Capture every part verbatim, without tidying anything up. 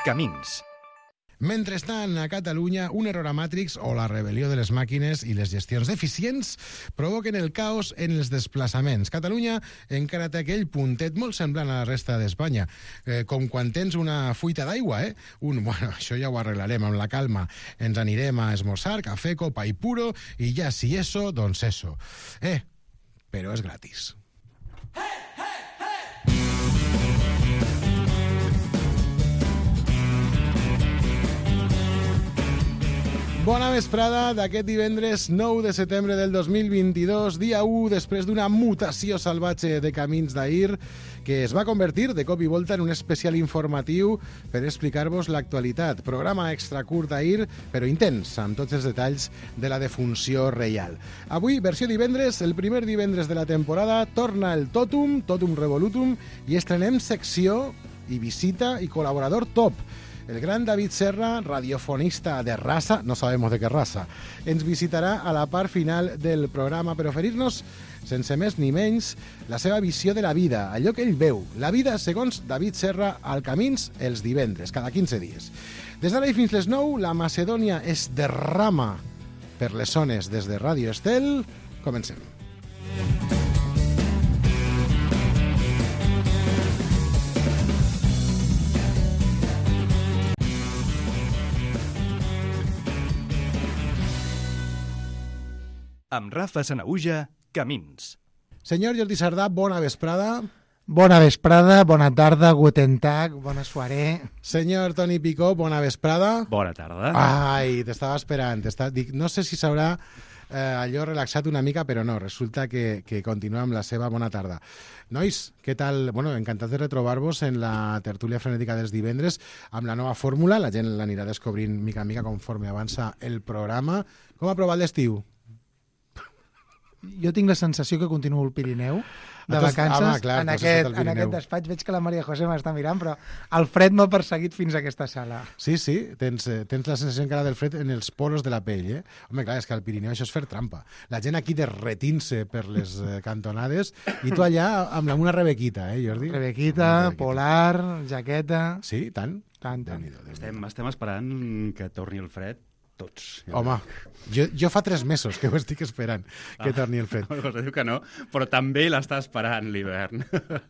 Camins. Mentrestant, a Catalunya, un error a Matrix o la rebel·lió de les màquines i les gestions deficients provoquen el caos en els desplaçaments. Catalunya encara té aquell puntet molt semblant a la resta d'Espanya, eh, com quan tens una fuita d'aigua, eh? Un, bueno, això ja ho arreglarem amb la calma. Ens anirem a esmorzar, café, copa i puro, i ja si eso, doncs eso. Eh, però és gratis. Bona vesprada d'aquest divendres nou de setembre del dos mil vint-i-dos, dia u, després d'una mutació salvatge de Camins d'ahir, que es va convertir de cop i volta en un especial informatiu per explicar-vos l'actualitat. Programa extra curt d'ahir, però intens, amb tots els detalls de la defunció reial. Avui, versió divendres, el primer divendres de la temporada, torna el Totum, Totum Revolutum, i estrenem secció i visita i col·laborador top. El gran David Serra, radiofonista de raza, no sabemos de qué raza, ens visitarà a la part final del programa per oferir-nos, sense més ni menys, la seva visió de la vida, allò que ell veu. La vida, segons David Serra, al Camins, els divendres, cada quinze dies. Des d'ara i fins les nou, la Macedònia es derrama per les zones des de Ràdio Estel. Comencem. Amb Rafa Sanaüja, Camins. Senyor Jordi Sardà, bona vesprada. Bona vesprada, bona tarda, guten tag, bona soirée. Senyor Toni Picó, bona vesprada. Bona tarda. Ai, t'estava esperant. T'estava... Dic, no sé si s'haurà eh, allò relaxat una mica, però no, resulta que, que continua amb la seva bona tarda. Nois, què tal? Bueno, encantat de retrobar-vos en la tertúlia frenètica dels divendres amb la nova fórmula. La gent l'anirà descobrint mica en mica conforme avança el programa. Com ha provat l'estiu? Jo tinc la sensació que continuo al Pirineu de Ah, tu- vacances. home, clar, en, tu has aquest, estat al en Pirineu. aquest despatx veig que la Maria José m'està mirant, però el fred m'ha perseguit fins a aquesta sala. Sí, sí, tens, eh, tens la sensació encara del fred en els poros de la pell, eh? Home, clar, és que al Pirineu això és fer trampa. La gent aquí derretint-se per les eh, cantonades i tu allà amb la- una rebequita, eh, Jordi? Rebequita, Una polar, jaqueta... Sí, tant? Tant, tant. Déu-n'hi-do, Déu-n'hi-do. Estem, estem esperant que torni el fred, tots. Home, jo, jo fa tres mesos que ho estic esperant, que torni el fred. Maria José diu que no, però també l'està esperant l'hivern.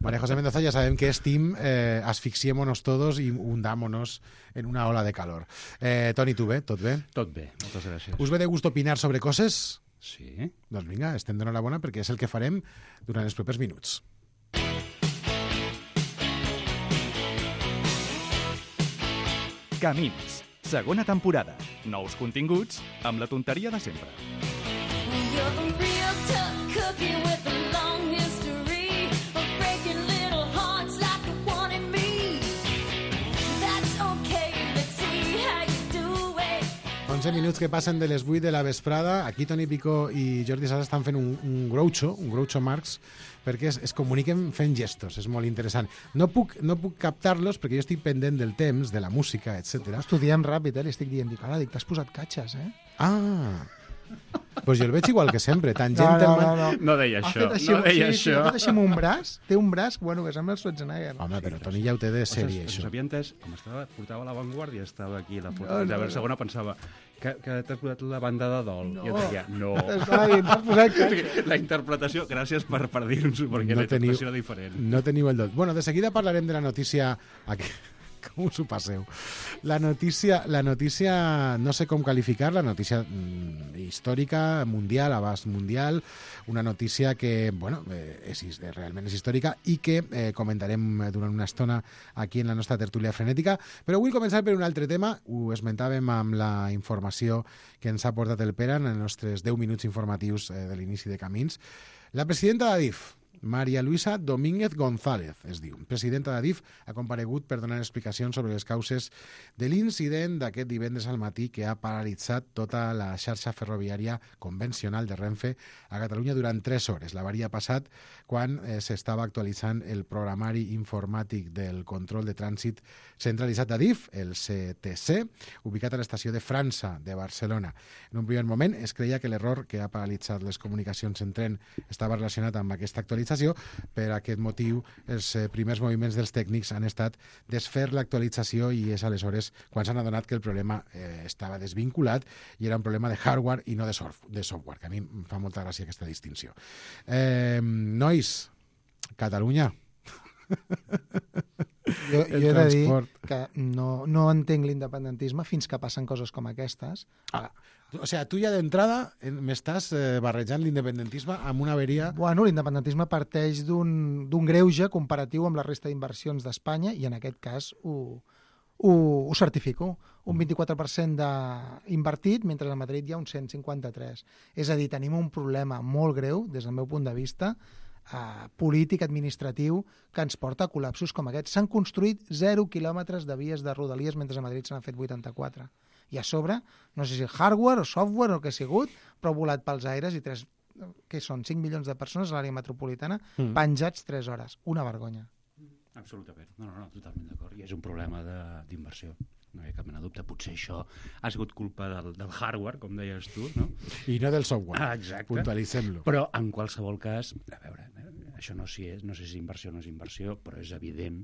María José Mendoza, ya saben que es team eh, asfixiémonos todos y hundámonos en una ola de calor. Eh, Toni, tu bé? Tot bé? Tot bé, moltes gràcies. Us ve de gust opinar sobre coses? Sí? Doncs vinga, estem donant la bona perquè és el que farem durant els propers minuts. Camins. Segona temporada. Nous continguts amb la tonteria de sempre. You're a real tough cookie with a long history of breaking little hearts like the one in me. That's okay, let's see how you do it. onze minuts que passen de les vuit de la vesprada. Aquí Toni Picó i Jordi Sala estan fent un, un groucho, un groucho Marx, perquè es, es comuniquen fent gestos. És molt interessant. No puc, no puc captar-los perquè jo estic pendent del temps, de la música, etcètera. Estudiem ràpid, eh? Li estic dient, dic, ara, dic, t'has posat catxes, eh? Ah, doncs jo el veig igual que sempre. Tangent No, no, el man... no, no. No deia Ha això, fet així, no deia sí, sí, això. ha fet així amb un braç, té un braç, bueno, que sembla el Schwarzenegger. Home, però Toni ja ho té de sèrie, Ostres, això. s'havia entès, com estava, portava a l'avantguàrdia, estava aquí la foto. No, No, no, no, no. segona pensava que, que t'has posat la banda de dol. No. I jo deia, no. Estava dient, t'has posat catxes. La interpretació, gràcies per, per dir-nos-ho, perquè No la teniu- interpretació era diferent. No teniu el dot. Bueno, de seguida parlarem de la notícia... Aquí... Com us ho passeu? La notícia, la notícia, no sé com qualificar, la notícia mm, històrica, mundial, abast mundial, una notícia que, bueno, eh, és, realment és històrica i que eh, comentarem durant una estona aquí en la nostra tertúlia frenètica. Però vull començar per un altre tema. Ho esmentàvem amb la informació que ens ha portat el Pere en els nostres deu minuts informatius eh, de l'inici de Camins. La presidenta d'Adif, María Luisa Domínguez González, es diu. Presidenta d'Adif ha comparegut per donar explicacions sobre les causes de l'incident d'aquest divendres al matí que ha paralitzat tota la xarxa ferroviària convencional de Renfe a Catalunya durant tres hores. L'avari ha passat quan eh, s'estava actualitzant el programari informàtic del control de trànsit centralitzat d'Adif, el C T C, ubicat a l'estació de França de Barcelona. En un primer moment es creia que l'error que ha paralitzat les comunicacions en tren estava relacionat amb aquesta actualització, l'actualització. Per aquest motiu, els eh, primers moviments dels tècnics han estat desfer l'actualització i és aleshores quan s'han adonat que el problema eh, estava desvinculat i era un problema de hardware i no de, soft, de software, que a mi em fa molta gràcia aquesta distinció. Eh, nois, Catalunya. Jo, El jo he de dir transport. que no, no entenc l'independentisme fins que passen coses com aquestes. Ah, o sigui, tu ja d'entrada eh, m'estàs eh, barrejant l'independentisme amb una averia... Bueno, l'independentisme parteix d'un d'un greuge comparatiu amb la resta d'inversions d'Espanya i en aquest cas ho, ho, ho certifico. Un vint-i-quatre per cent d'invertit, mentre a Madrid hi ha un cent cinquanta-tres. És a dir, tenim un problema molt greu, des del meu punt de vista, Uh, polític, administratiu, que ens porta a col·lapsos com aquest. S'han construït zero quilòmetres de vies de rodalies mentre a Madrid se n'han fet vuitanta-quatre. I a sobre, no sé si hardware o software o què ha sigut, però ha volat pels aires i tres, què són, cinc milions de persones a l'àrea metropolitana mm. penjats tres hores. Una vergonya. Absolutament. No, no, no, totalment d'acord. I és un problema d'inversió. No hi ha cap mena de dubte. Potser això ha sigut culpa del, del hardware, com deies tu, no? I no del software. Ah, exacte. Puntualitzem-lo. Però, en qualsevol cas, a veure, això no, si és, no sé si és inversió o no és inversió, però és evident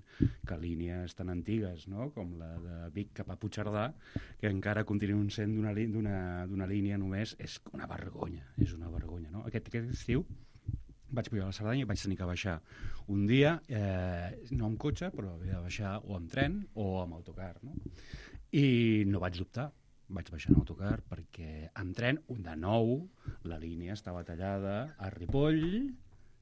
que línies tan antigues, no?, com la de Vic cap a Puigcerdà, que encara continuen sent d'una d'una línia només, és una vergonya, és una vergonya, no? Aquest, aquest estiu vaig pujar a la Cerdanya i vaig tenir que baixar un dia, eh, no amb cotxe, però havia de baixar o amb tren o amb autocar, no? I no vaig dubtar, vaig baixar en autocar perquè amb tren, de nou, la línia estava tallada a Ripoll,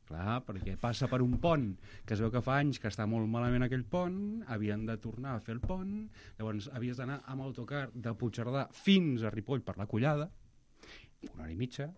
clar, perquè passa per un pont que es veu que fa anys que està molt malament aquell pont, havien de tornar a fer el pont, llavors havies d'anar amb autocar de Puigcerdà fins a Ripoll per la Collada, una hora i mitja,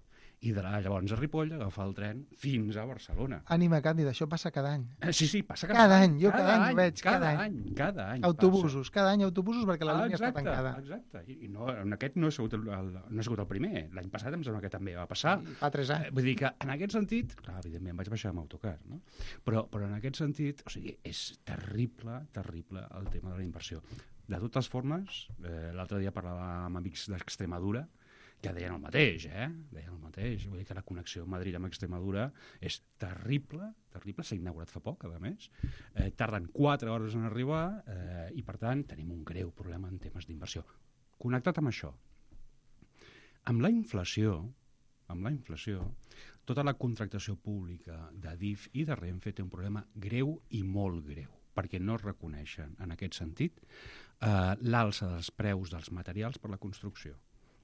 i de là, llavors a Ripoll, agafar el tren fins a Barcelona. Ànima, Càndida, això passa cada any. Eh, sí, sí, passa cada, Cada any, jo cada any ho veig, cada, cada any. Cada any Autobusos, cada any autobusos perquè la Ah, línia està exacte, tancada. exacte. I, i no, en aquest no ha sigut el, el, no ha sigut el primer. L'any passat em sembla que també va passar. Fa tres Eh, anys. Vull dir que en aquest sentit, clar, evidentment vaig baixar amb autocar, no? Però, però en aquest sentit, o sigui, és terrible, terrible el tema de la inversió. De totes formes, eh, l'altre dia parlava amb amics d'Extremadura, que deien el mateix, eh? Deien el mateix. Vull dir que la connexió Madrid amb Extremadura és terrible, terrible. S'ha inaugurat fa poc, a més. Eh, tarden quatre hores en arribar eh, i, per tant, tenim un greu problema en temes d'inversió. Connectat amb això, amb la inflació, amb la inflació, tota la contractació pública de D I F i de Renfe té un problema greu i molt greu, perquè no es reconeixen, en aquest sentit, eh, l'alça dels preus dels materials per la construcció.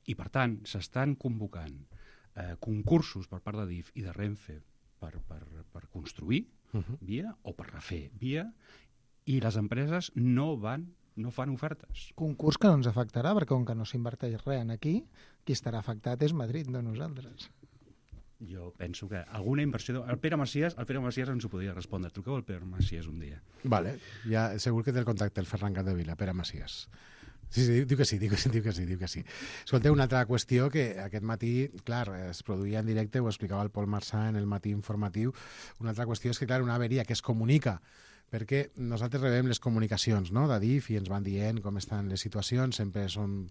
I, per tant, s'estan convocant eh, concursos per part de D I F i de Renfe per, per, per construir uh -huh. via o per refer via, i les empreses no van, no fan ofertes. Concurs que no ens afectarà, perquè com que no s'inverteix res en aquí, qui estarà afectat és Madrid, no nosaltres. Jo penso que alguna inversió... El Pere Macias, el Pere Macias ens ho podria respondre. Truqueu al Pere Macias un dia. Vale, ja segur que té el contacte el Ferran Capdevila, Pere Macias. Sí, sí, diu que sí, diu que sí, diu que sí, diu que sí. Escolteu, una altra qüestió que aquest matí, clar, es produïa en directe, ho explicava el Pol Marçà en el matí informatiu, una altra qüestió és que, clar, una averia que es comunica, perquè nosaltres rebem les comunicacions, no?, de D I F i ens van dient com estan les situacions, sempre són,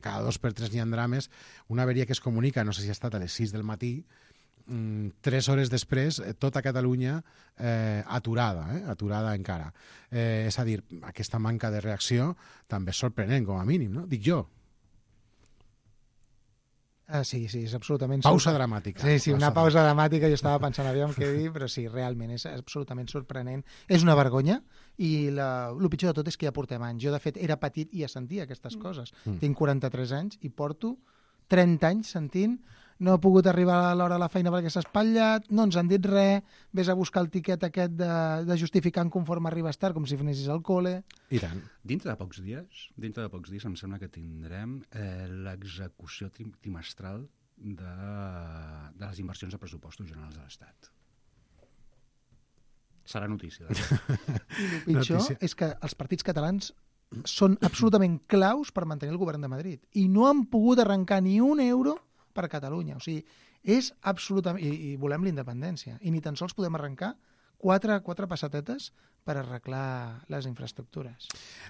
cada dos per tres n'hi ha drames, una averia que es comunica, no sé si ha estat a les sis del matí, tres hores després, tota Catalunya eh, aturada, eh, aturada encara. Eh, és a dir, aquesta manca de reacció també és sorprenent, com a mínim, no? Dic jo. Ah, sí, sí, és absolutament... Pausa dramàtica. Sí, sí, una pausa dramàtica, jo estava pensant, aviam què dir, però sí, realment és absolutament sorprenent. És una vergonya i la, el pitjor de tot és que ja portem anys. Jo, de fet, era petit i ja sentia aquestes coses. Mm. Tinc quaranta-tres anys i porto trenta anys sentint no he pogut arribar a l'hora de la feina perquè s'ha espatllat, no ens han dit res, vés a buscar el tiquet aquest de, de justificant conforme arribes tard, com si anessis al col·le. I tant. Dintre de pocs dies, dintre de pocs dies em sembla que tindrem eh, l'execució trim trimestral de, de les inversions de pressupostos generals de l'Estat. Serà notícia. I el pitjor notícia. És que els partits catalans són absolutament claus per mantenir el govern de Madrid i no han pogut arrencar ni un euro per Catalunya. O sigui, és absolutament... I, i volem la independència. I ni tan sols podem arrencar quatre, quatre passatetes per arreglar les infraestructures.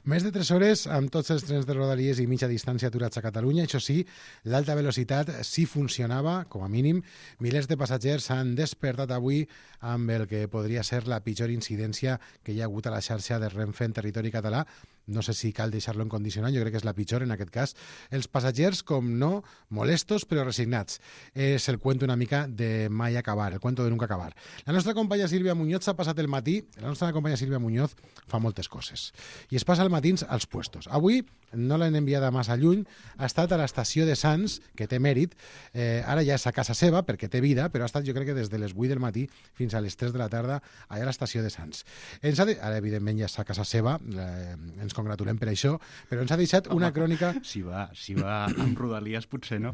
Més de tres hores amb tots els trens de Rodalies i mitja distància aturats a Catalunya. Això sí, l'alta velocitat sí funcionava, com a mínim. Milers de passatgers s'han despertat avui amb el que podria ser la pitjor incidència que hi ha hagut a la xarxa de Renfe en territori català. No sé si cal deixar-lo en condicionant, jo crec que és la pitjor en aquest cas. Els passatgers, com no, molestos però resignats. És el cuento una mica de mai acabar, el cuento de nunca acabar. La nostra companya Sílvia Muñoz s'ha passat el matí, la nostra companya Sílvia Muñoz fa moltes coses. I es passa els matins als puestos. Avui no l'han enviada massa lluny, ha estat a l'estació de Sants, que té mèrit, eh, ara ja és a casa seva perquè té vida, però ha estat jo crec que des de les vuit del matí fins a les tres de la tarda allà a l'estació de Sants. Ens ha de... Ara, evidentment, ja és a casa seva, eh, ens congratulem per això, però ens ha deixat una Home, crònica... Si va, si va amb Rodalies, potser no.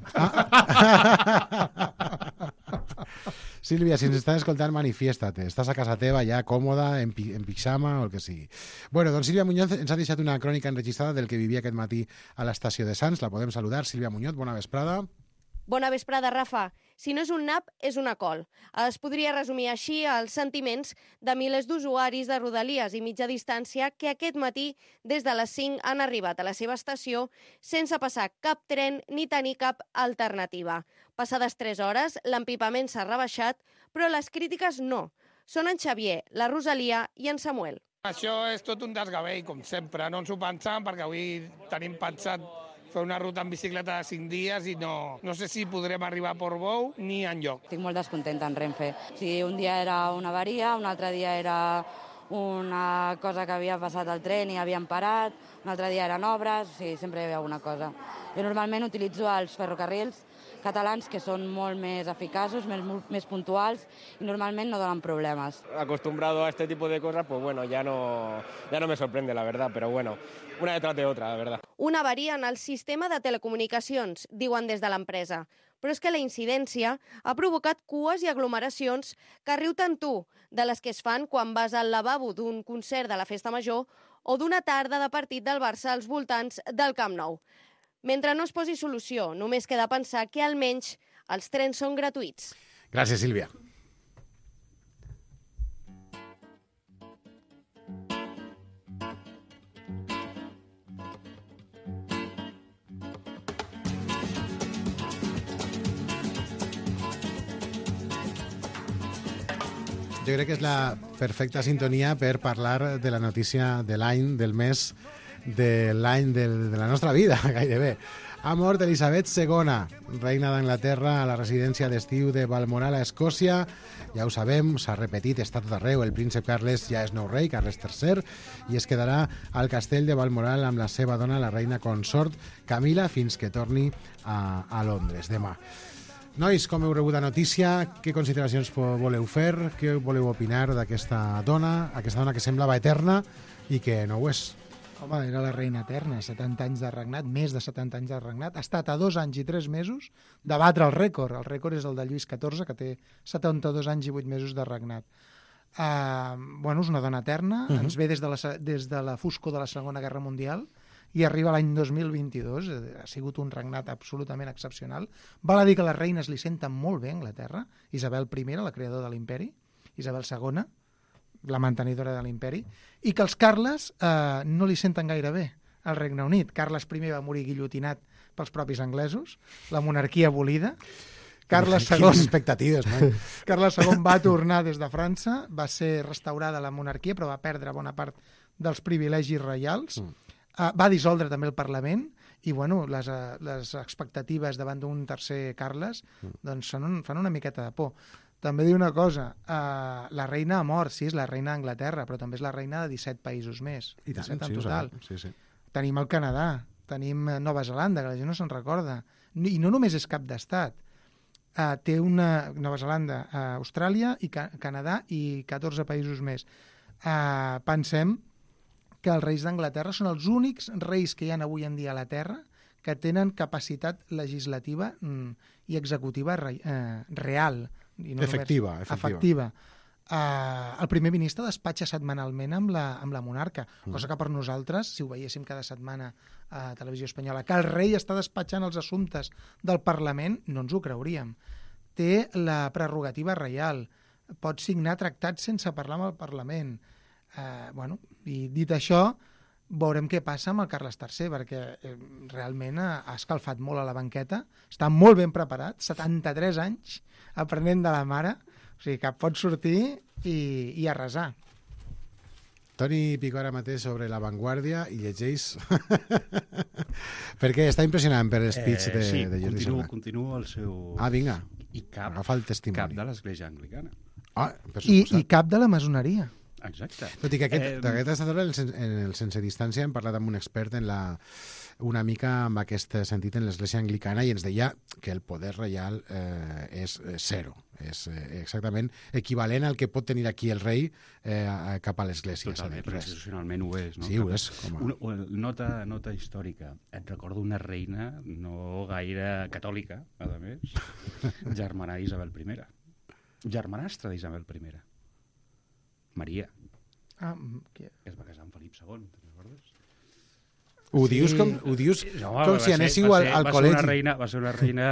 Sílvia, si ens estàs escoltant, manifiesta-te. Estàs a casa teva, ja còmoda, en, pi en pixama o el que sigui. Bueno, doncs Sílvia Muñoz ens ha deixat una crònica enregistrada del que vivia aquest matí a l'estació de Sants. La podem saludar. Sílvia Muñoz, bona vesprada. Bona vesprada, Rafa. Si no és un nap, és una col. Es podria resumir així els sentiments de milers d'usuaris de Rodalies i mitja distància que aquest matí, des de les cinc, han arribat a la seva estació sense passar cap tren ni tenir cap alternativa. Passades tres hores, l'empipament s'ha rebaixat, però les crítiques no. Són en Xavier, la Rosalia i en Samuel. Això és tot un desgavell, com sempre. No ens ho pensàvem perquè avui tenim pensat fer una ruta en bicicleta de cinc dies i no, no sé si podrem arribar a Portbou ni enlloc. Estic molt descontenta en Renfe. O sigui, un dia era una avaria, un altre dia era una cosa que havia passat al tren i havien parat, un altre dia eren obres, o sigui, sempre hi havia alguna cosa. Jo normalment utilitzo els ferrocarrils catalans que són molt més eficaços, més, més puntuals y normalment no donen problemes. Acostumbrado a este tipo de cosas, pues bueno, ya no, ya no me sorprende, la verdad, pero bueno, una detrás de otra, la verdad. Una avaria en el sistema de telecomunicacions, diuen des de l'empresa. Però és que la incidència ha provocat cues i aglomeracions que riu tant tu, de les que es fan quan vas al lavabo d'un concert de la Festa Major o d'una tarda de partit del Barça als voltants del Camp Nou. Mentre no es posi solució, només queda pensar que almenys els trens són gratuïts. Gràcies, Sílvia. Jo crec que és la perfecta sintonia per parlar de la notícia de l'any, del mes, de l'any de la nostra vida, gairebé. Ha mort Elisabet segona, reina d'Anglaterra a la residència d'estiu de Balmoral, a Escòcia. Ja ho sabem, s'ha repetit, està tot arreu. El príncep Carles ja és nou rei, Carles tercer, i es quedarà al castell de Balmoral amb la seva dona, la reina consort Camila, fins que torni a, a Londres demà. Nois, com heu rebut la notícia? Què consideracions voleu fer? Què voleu opinar d'aquesta dona? Aquesta dona que semblava eterna i que no ho és. Home, era la reina eterna, setanta anys de regnat, més de setanta anys de regnat. Ha estat a dos anys i tres mesos de batre el rècord. El rècord és el de Lluís catorze, que té setanta-dos anys i vuit mesos de regnat. Uh, bueno, és una dona eterna, uh-huh. Ens ve des de, la, des de la foscor de la Segona Guerra Mundial i arriba l'any dos mil vint-i-dos. Ha sigut un regnat absolutament excepcional. Val a dir que les reines li senten molt bé a Anglaterra. Isabel primera, la creadora de l'imperi, Isabel segona, la mantenidora de l'imperi, i que els Carles eh, no li senten gaire bé al Regne Unit. Carles primer va morir guillotinat pels propis anglesos, la monarquia abolida. Carles segon... Quines expectatives, no? Carles segon va tornar des de França, va ser restaurada la monarquia, però va perdre bona part dels privilegis reials. Mm. Uh, va dissoldre també el Parlament i bueno, les, uh, les expectatives davant d'un tercer Carles mm. doncs fan, un, fan una miqueta de por. També diu una cosa, uh, la reina ha mort, sí, és la reina d'Anglaterra, però també és la reina de disset països més. I tant, disset en sí, total. Sí, sí. Tenim el Canadà, tenim Nova Zelanda, que la gent no se'n recorda. I no només és cap d'estat. Uh, té una Nova Zelanda, uh, Austràlia, i Ca Canadà i catorze països més. Uh, pensem que els reis d'Anglaterra són els únics reis que hi ha avui en dia a la Terra que tenen capacitat legislativa mm, i executiva re, eh, real. I no efectiva, només, efectiva. efectiva. Uh, el primer ministre despatxa setmanalment amb la, amb la monarca, mm. cosa que per nosaltres, si ho veiéssim cada setmana a Televisió Espanyola, que el rei està despatxant els assumptes del Parlament, no ens ho creuríem. Té la prerrogativa reial, pot signar tractats sense parlar amb el Parlament. Eh, bueno, i dit això, veurem què passa amb el Carles tercer, perquè eh, realment ha, ha escalfat molt a la banqueta, està molt ben preparat, setanta-tres anys, aprenent de la mare, o sigui que pot sortir i, i arrasar. Toni Picó ara mateix sobre La Vanguardia i llegeix perquè està impressionant per l'espeech Eh, de, sí, de Jordi continuo, Serra. continuo el seu... Ah, vinga, I cap, agafa el cap testimoni. de l'Església Anglicana. Ah, per I, suposat. I cap de la masoneria. Exacte. Tot i que aquest, Eh, d'aquest estador, en el, sen- en el sense distància, hem parlat amb un expert en la, una mica amb aquest sentit en l'Església Anglicana i ens deia que el poder reial eh, és eh, zero. És eh, exactament equivalent al que pot tenir aquí el rei eh, a- cap a l'Església. Totalment, és a dir, però res. institucionalment ho és. No? Sí, ho és. Com a... Una, una nota, nota històrica. Et recordo una reina no gaire catòlica, a més, germana d'Isabel I. Germanastra d'Isabel I. Maria, Ah, mm, que... que es va casar amb Felip segon, te'n recordes? Ho Sí. dius com, ho dius No, com va si ser- anéssiu va al, ser- al va ser col·legi. Una reina, va ser una reina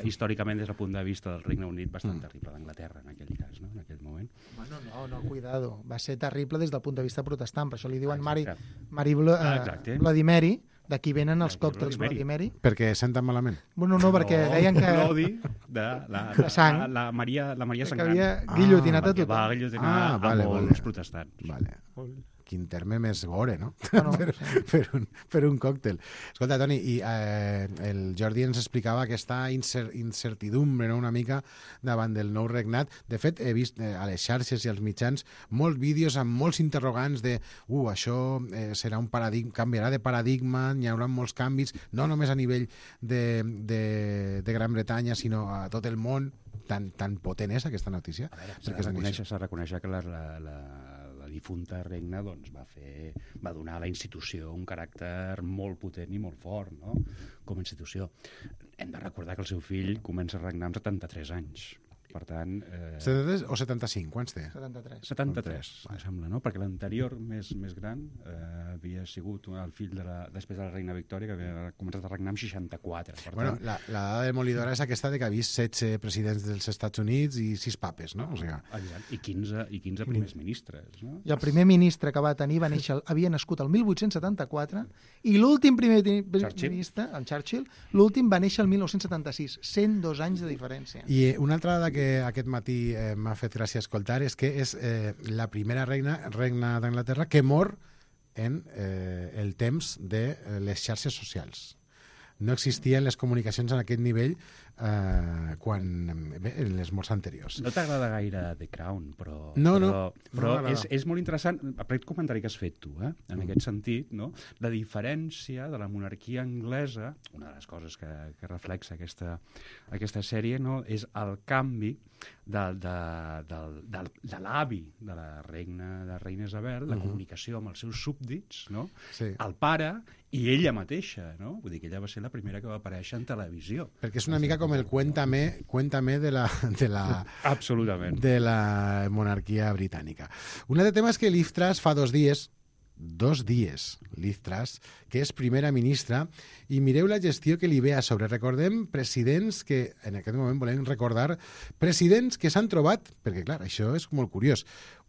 històricament des del punt de vista del Regne Unit bastant Mm. terrible, d'Anglaterra en aquell cas, no? en aquell moment. Bueno, no, no, cuidado. Va ser terrible des del punt de vista protestant, per això li diuen Mari, Exacte. Mari Blo, Ah, eh, exacte. Vladimiri, d'aquí venen els D'aquí còctels Vladimiri. Vladimiri. Perquè senten malament. Bueno, no, perquè deien que... L'odi de la, De sang. La, la Maria, la Maria Que Sangrant. havia guillotinat a Perquè tothom. va guillotinar Ah, vale, a molts vale. protestants. Vale. Quin terme més gore, no? Bueno, per, per, un, per un còctel. Escolta, Toni, i eh, el Jordi ens explicava aquesta incer incertidumbre, no?, una mica davant del nou regnat. De fet, he vist eh, a les xarxes i als mitjans molts vídeos amb molts interrogants de uh, això eh, serà un paradigma, canviarà de paradigma, hi haurà molts canvis, no només a nivell de, de, de Gran Bretanya, sinó a tot el món. Tan, tan potent és aquesta notícia? A veure, s'ha Perquè de és reconèixer, s'ha de reconèixer que la, la, la, la difunta regna doncs, va, fer, va donar a la institució un caràcter molt potent i molt fort, no?, com a institució. Hem de recordar que el seu fill comença a regnar amb setanta-tres anys. Per tant... Eh, setanta-tres o setanta-cinc? Quants té? setanta-tres. setanta-tres, em sembla, no? Perquè l'anterior, més, més gran, eh, havia sigut el fill de la, després de la reina Victòria, que havia començat a regnar amb seixanta-quatre. Per Bueno, tant, la, la dada demolidora és aquesta de que ha vist setze presidents dels Estats Units i sis papes, no? O sigui, exacte, i quinze, i quinze primers ministres, no? I el primer ministre que va tenir va néixer, havia nascut el mil vuit-cents setanta-quatre i l'últim primer ti- Churchill. ministre, el Churchill, l'últim va néixer el mil nou-cents setanta-sis, cent dos anys de diferència. I eh, una altra dada que aquest matí eh, m'ha fet gràcia escoltar és que és eh, la primera reina, regna d'Anglaterra que mor en eh, el temps de eh, les xarxes socials. No existien les comunicacions en aquest nivell eh, quan, bé, en les morts anteriors. No t'agrada gaire The Crown, però, No, no, però, no però m'agrada. és, és molt interessant, aquest comentari que has fet tu, eh? en Mm. aquest sentit, no? La diferència de la monarquia anglesa, una de les coses que, que reflexa aquesta, aquesta sèrie, no? És el canvi de, de, de, de, de l'avi de la reina, de la reina Isabel, la Mhm. comunicació amb els seus súbdits, no? Sí. El pare i ella mateixa, no? Vull dir que ella va ser la primera que va aparèixer en televisió. Perquè és una mica com el cuéntame, cuéntame de la, de la, Absolutament. de la monarquia britànica. Un altre tema és que Liz Truss fa dos dies, dos dies, Liz Truss, que és primera ministra, i mireu la gestió que li ve a sobre. Recordem presidents que, en aquest moment volem recordar, presidents que s'han trobat, perquè clar, això és molt curiós,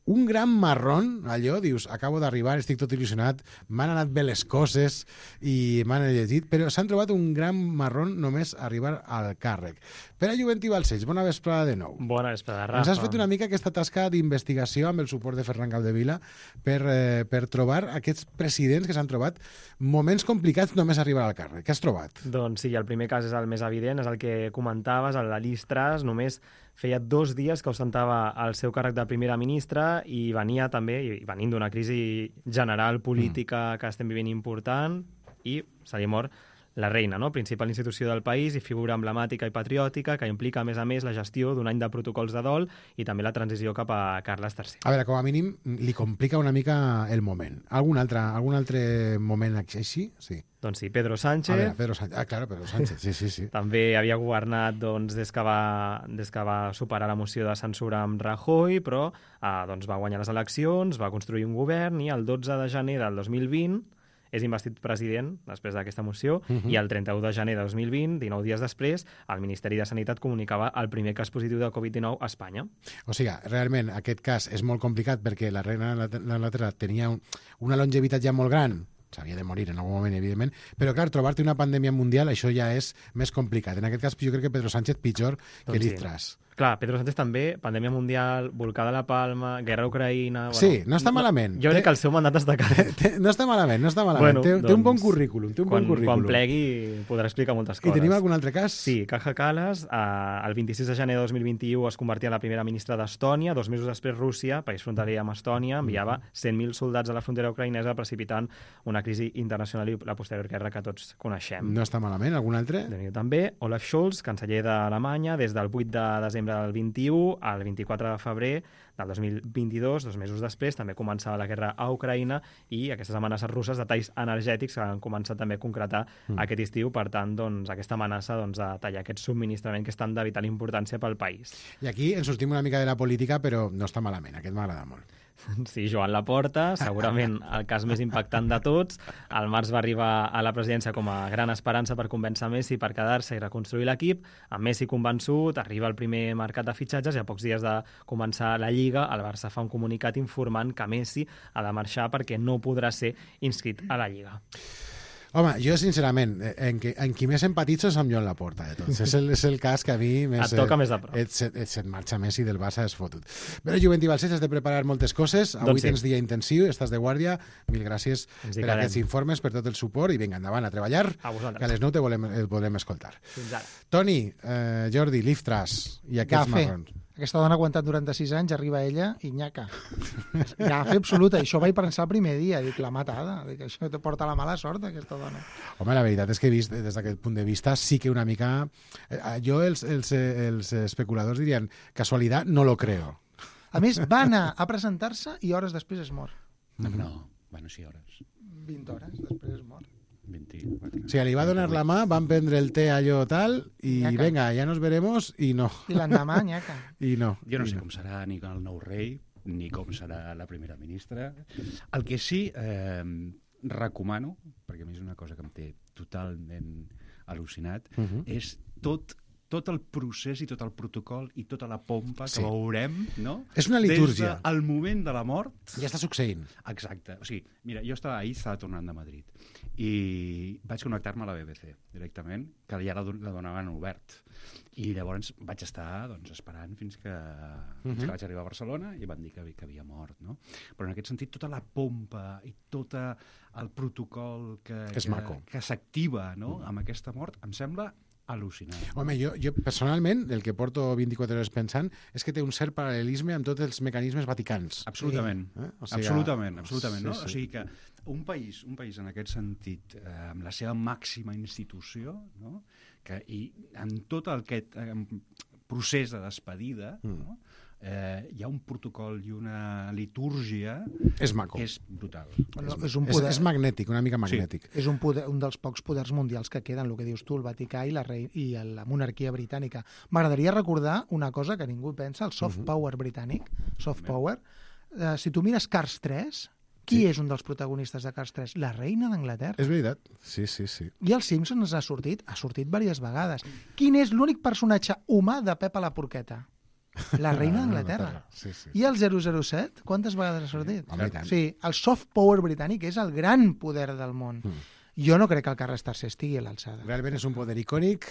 un gran marrón, allò, dius, acabo d'arribar, estic tot il·lusionat, m'han anat bé les coses i m'han llegit, però s'han trobat un gran marrón només arribar al càrrec. Pere Juventí Balcells, bona vesprada de nou. Bona vesprada, Rafa. Ens has fet una mica aquesta tasca d'investigació amb el suport de Ferran Capdevila per, eh, per trobar aquests presidents que s'han trobat moments complicats només arribar al càrrec. Què has trobat? Doncs sí, el primer cas és el més evident, és el que comentaves, el de Liz Truss, només feia dos dies que ostentava el seu càrrec de primera ministra i venia també, i venint d'una crisi general política mm. que estem vivint important, i se li mor la reina, no? Principal institució del país i figura emblemàtica i patriòtica que implica, a més a més, la gestió d'un any de protocols de dol i també la transició cap a Carles tercer. A veure, com a mínim, li complica una mica el moment. Algun altre, algun altre moment així? Sí. Doncs sí, Pedro Sánchez. A veure, Pedro Sánchez. Ah, claro, Pedro Sánchez, sí, sí, sí. També havia governat doncs, des, que va, des que va superar la moció de censura amb Rajoy, però eh, doncs, va guanyar les eleccions, va construir un govern i el dotze de gener del dos mil vint és investit president després d'aquesta moció Uh -huh. i el trenta-u de gener de dos mil vint, dinou dies després, el Ministeri de Sanitat comunicava el primer cas positiu de covid dinou a Espanya. O sigui, realment aquest cas és molt complicat perquè la reina d'Anglaterra tenia un, una longevitat ja molt gran, s'havia de morir en algun moment, evidentment, però clar, trobar-te una pandèmia mundial, això ja és més complicat. En aquest cas, jo crec que Pedro Sánchez pitjor que Doncs sí. Liz Truss. Clar, Pedro Sánchez també, pandèmia mundial, volcà de la Palma, guerra a Ucraïna... Sí, no està malament. Jo crec que el seu mandat està calent. No està malament, no està malament. Bueno, té, doncs, té un bon currículum, té un quan, bon currículum. Quan plegui podrà explicar moltes coses. I tenim algun altre cas? Sí, Kaja Kallas, eh, el vint-i-sis de gener de dos mil vint-i-u es convertia en la primera ministra d'Estònia. Dos mesos després, Rússia, país fronterer amb Estònia, enviava cent mil soldats a la frontera ucraïnesa precipitant una crisi internacional i la posterior guerra que tots coneixem. No està malament. Algun altre? També Olaf Scholz, canceller d'Alemanya, des del vuit de desembre del vint-i-u al vint-i-quatre de febrer del dos mil vint-i-dos, dos mesos després, també començava la guerra a Ucraïna i aquestes amenaces russes de talls energètics que han començat també a concretar mm. aquest estiu. Per tant, doncs, aquesta amenaça doncs, de tallar aquest subministrament que és tan de vital importància pel país. I aquí ens sortim una mica de la política, però no està malament. Aquest m'agrada molt. Sí, Joan Laporta, segurament el cas més impactant de tots. Al març va arribar a la presidència com a gran esperança per convèncer Messi per quedar-se i reconstruir l'equip. Amb Messi convençut, arriba el primer mercat de fitxatges i a pocs dies de començar la Lliga, el Barça fa un comunicat informant que Messi ha de marxar perquè no podrà ser inscrit a la Lliga. Home, jo, sincerament, en, qui, en qui més empatitzo és amb Joan Laporta, de tots. és, el, és el cas que a mi més... Et toca més de prop. Et, et, et, et marxa Messi del Barça, és fotut. Però, Juventí Balcells, has de preparar moltes coses. Avui doncs sí. tens dia intensiu, estàs de guàrdia. Mil gràcies Ens per aquests informes, per tot el suport, i vinga, endavant, a treballar, a vosaltres. que a les nou te volem, el volem escoltar. Fins ara. Toni, eh, Jordi, Liz Truss i aquests Gafe. marrons. Aquesta dona ha aguantat noranta-sis anys, arriba ella i nyaca. Gafe absoluta. Això vaig pensar el primer dia. Dic, la matada. Dic, això te porta la mala sort, aquesta dona. Home, la veritat és que he vist, des d'aquest punt de vista, sí que una mica... Eh, jo, els, els, els especuladors dirien, casualitat, no lo creo. A més, va anar a presentar-se i hores després es mor. No, no. Bueno, sí, hores. vint hores després es mor. vint-i-quatre. O sigui, li va donar la mà, van prendre el té allò tal, i Nyaca. venga, ja nos veremos, i no. I l'endemà, nyaca. I no. Jo no i sé com serà ni el nou rei, ni com serà la primera ministra. El que sí eh, recomano, perquè a mi és una cosa que em té totalment al·lucinat, Uh -huh. és tot tot el procés i tot el protocol i tota la pompa que Sí. veurem, no? És una litúrgia. Des del moment de la mort... Ja està succeint. Exacte. O sigui, mira, jo estava ahir, estava tornant de Madrid, i vaig connectar-me a la B B C directament, que ja la, la donaven obert. I llavors vaig estar doncs, esperant fins que, uh-huh. fins que vaig arribar a Barcelona i van dir que, que havia mort, no? Però en aquest sentit, tota la pompa i tot el protocol que, És que, maco. que s'activa, no?, amb aquesta mort, em sembla al·lucinant. Home, jo, jo personalment, el que porto vint-i-quatre hores pensant és que té un cert paral·lelisme amb tots els mecanismes vaticans. Absolutament. Eh? O sigui, absolutament, absolutament. sí, No? sí. O sigui que un país, un país en aquest sentit, eh, amb la seva màxima institució, no? que, i en tot aquest eh, procés de despedida, Mm. no? eh, hi ha un protocol i una litúrgia És maco. que és brutal. Bueno, és un És, poder... és magnètic, una mica magnètic. És un, poder, un dels pocs poders mundials que queden, el que dius tu, el Vaticà i la, rei, i la monarquia britànica. M'agradaria recordar una cosa que ningú pensa, el soft Mhm. power britànic, soft power. Eh, si tu mires Cars tres, qui Sí. és un dels protagonistes de Cars tres? La reina d'Anglaterra. És veritat. Sí, sí, sí. I els Simpsons ha sortit, ha sortit diverses vegades. Quin és l'únic personatge humà de Pepa la Porqueta? La reina d'Anglaterra. Sí, sí. I el zero zero set, quantes vegades ha sortit? Home, i tant. Sí, el soft power britànic és el gran poder del món. Mm. Jo no crec que el Carles tercer estigui a l'alçada. Realment és un poder icònic.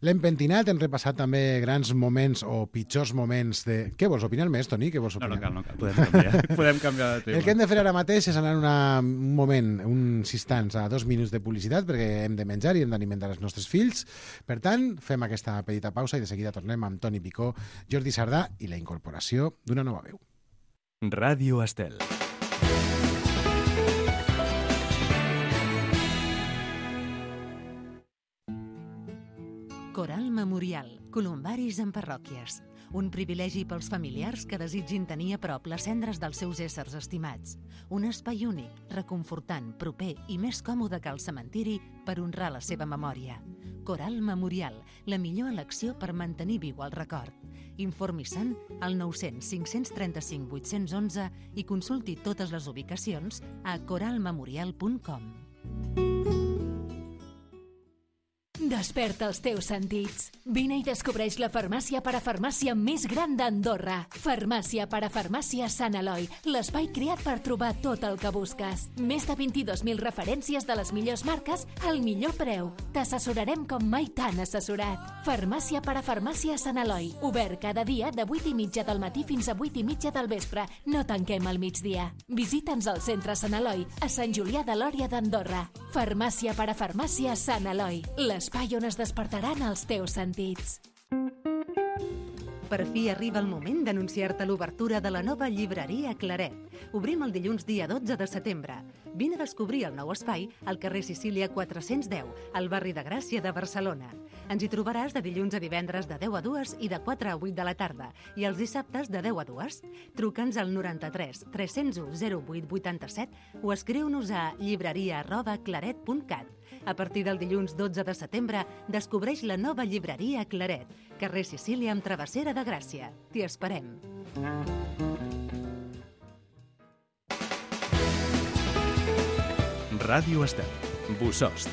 L'hem pentinat, hem repassat també grans moments o pitjors moments de... Què vols opinar més, Toni? Què vols No, opinar? no cal, no cal. Podem canviar, podem canviar de tema. El que hem de fer ara mateix és anar una, un moment, uns instants, a dos minuts de publicitat, perquè hem de menjar i hem d'alimentar els nostres fills. Per tant, fem aquesta petita pausa i de seguida tornem amb Toni Picó, Jordi Sardà i la incorporació d'una nova veu. Ràdio Estel. Coral Memorial, columbaris en parròquies. Un privilegi pels familiars que desitgin tenir a prop les cendres dels seus éssers estimats. Un espai únic, reconfortant, proper i més còmode que el cementiri per honrar la seva memòria. Coral Memorial, la millor elecció per mantenir viu el record. Informi-se'n al nou cents cinc cents trenta-cinc vuit-cents onze i consulti totes les ubicacions a coral memorial punt com. Desperta els teus sentits. Vine i descobreix la farmàcia parafarmàcia més gran d'Andorra. Farmàcia parafarmàcia Sant Eloi, l'espai creat per trobar tot el que busques. Més de vint-i-dos mil referències de les millors marques al millor preu. T'assessorarem com mai t'han assessorat. Farmàcia parafarmàcia Sant Eloi, obert cada dia de vuit i mitja del matí fins a vuit i mitja del vespre. No tanquem al migdia. Visita'ns al centre Sant Eloi, a Sant Julià de Lòria d'Andorra. Farmàcia parafarmàcia Sant Eloi, l'espai on es despertaran els teus sentits. Per fi arriba el moment d'anunciar-te l'obertura de la nova llibreria Claret. Obrim el dilluns dia dotze de setembre. Vine a descobrir el nou espai al carrer Sicília quatre-cents deu, al barri de Gràcia de Barcelona. Ens hi trobaràs de dilluns a divendres de deu a dues i de quatre a vuit de la tarda, i els dissabtes de deu a dues. Truca'ns al noranta-tres tres zero u zero vuit vuitanta-set o escriu-nos a llibreria arroba claret punt cat. A partir del dilluns dotze de setembre, descobreix la nova llibreria Claret, carrer Sicília amb travessera de Gràcia. T'hi esperem. Ràdio Estel, Bossòst,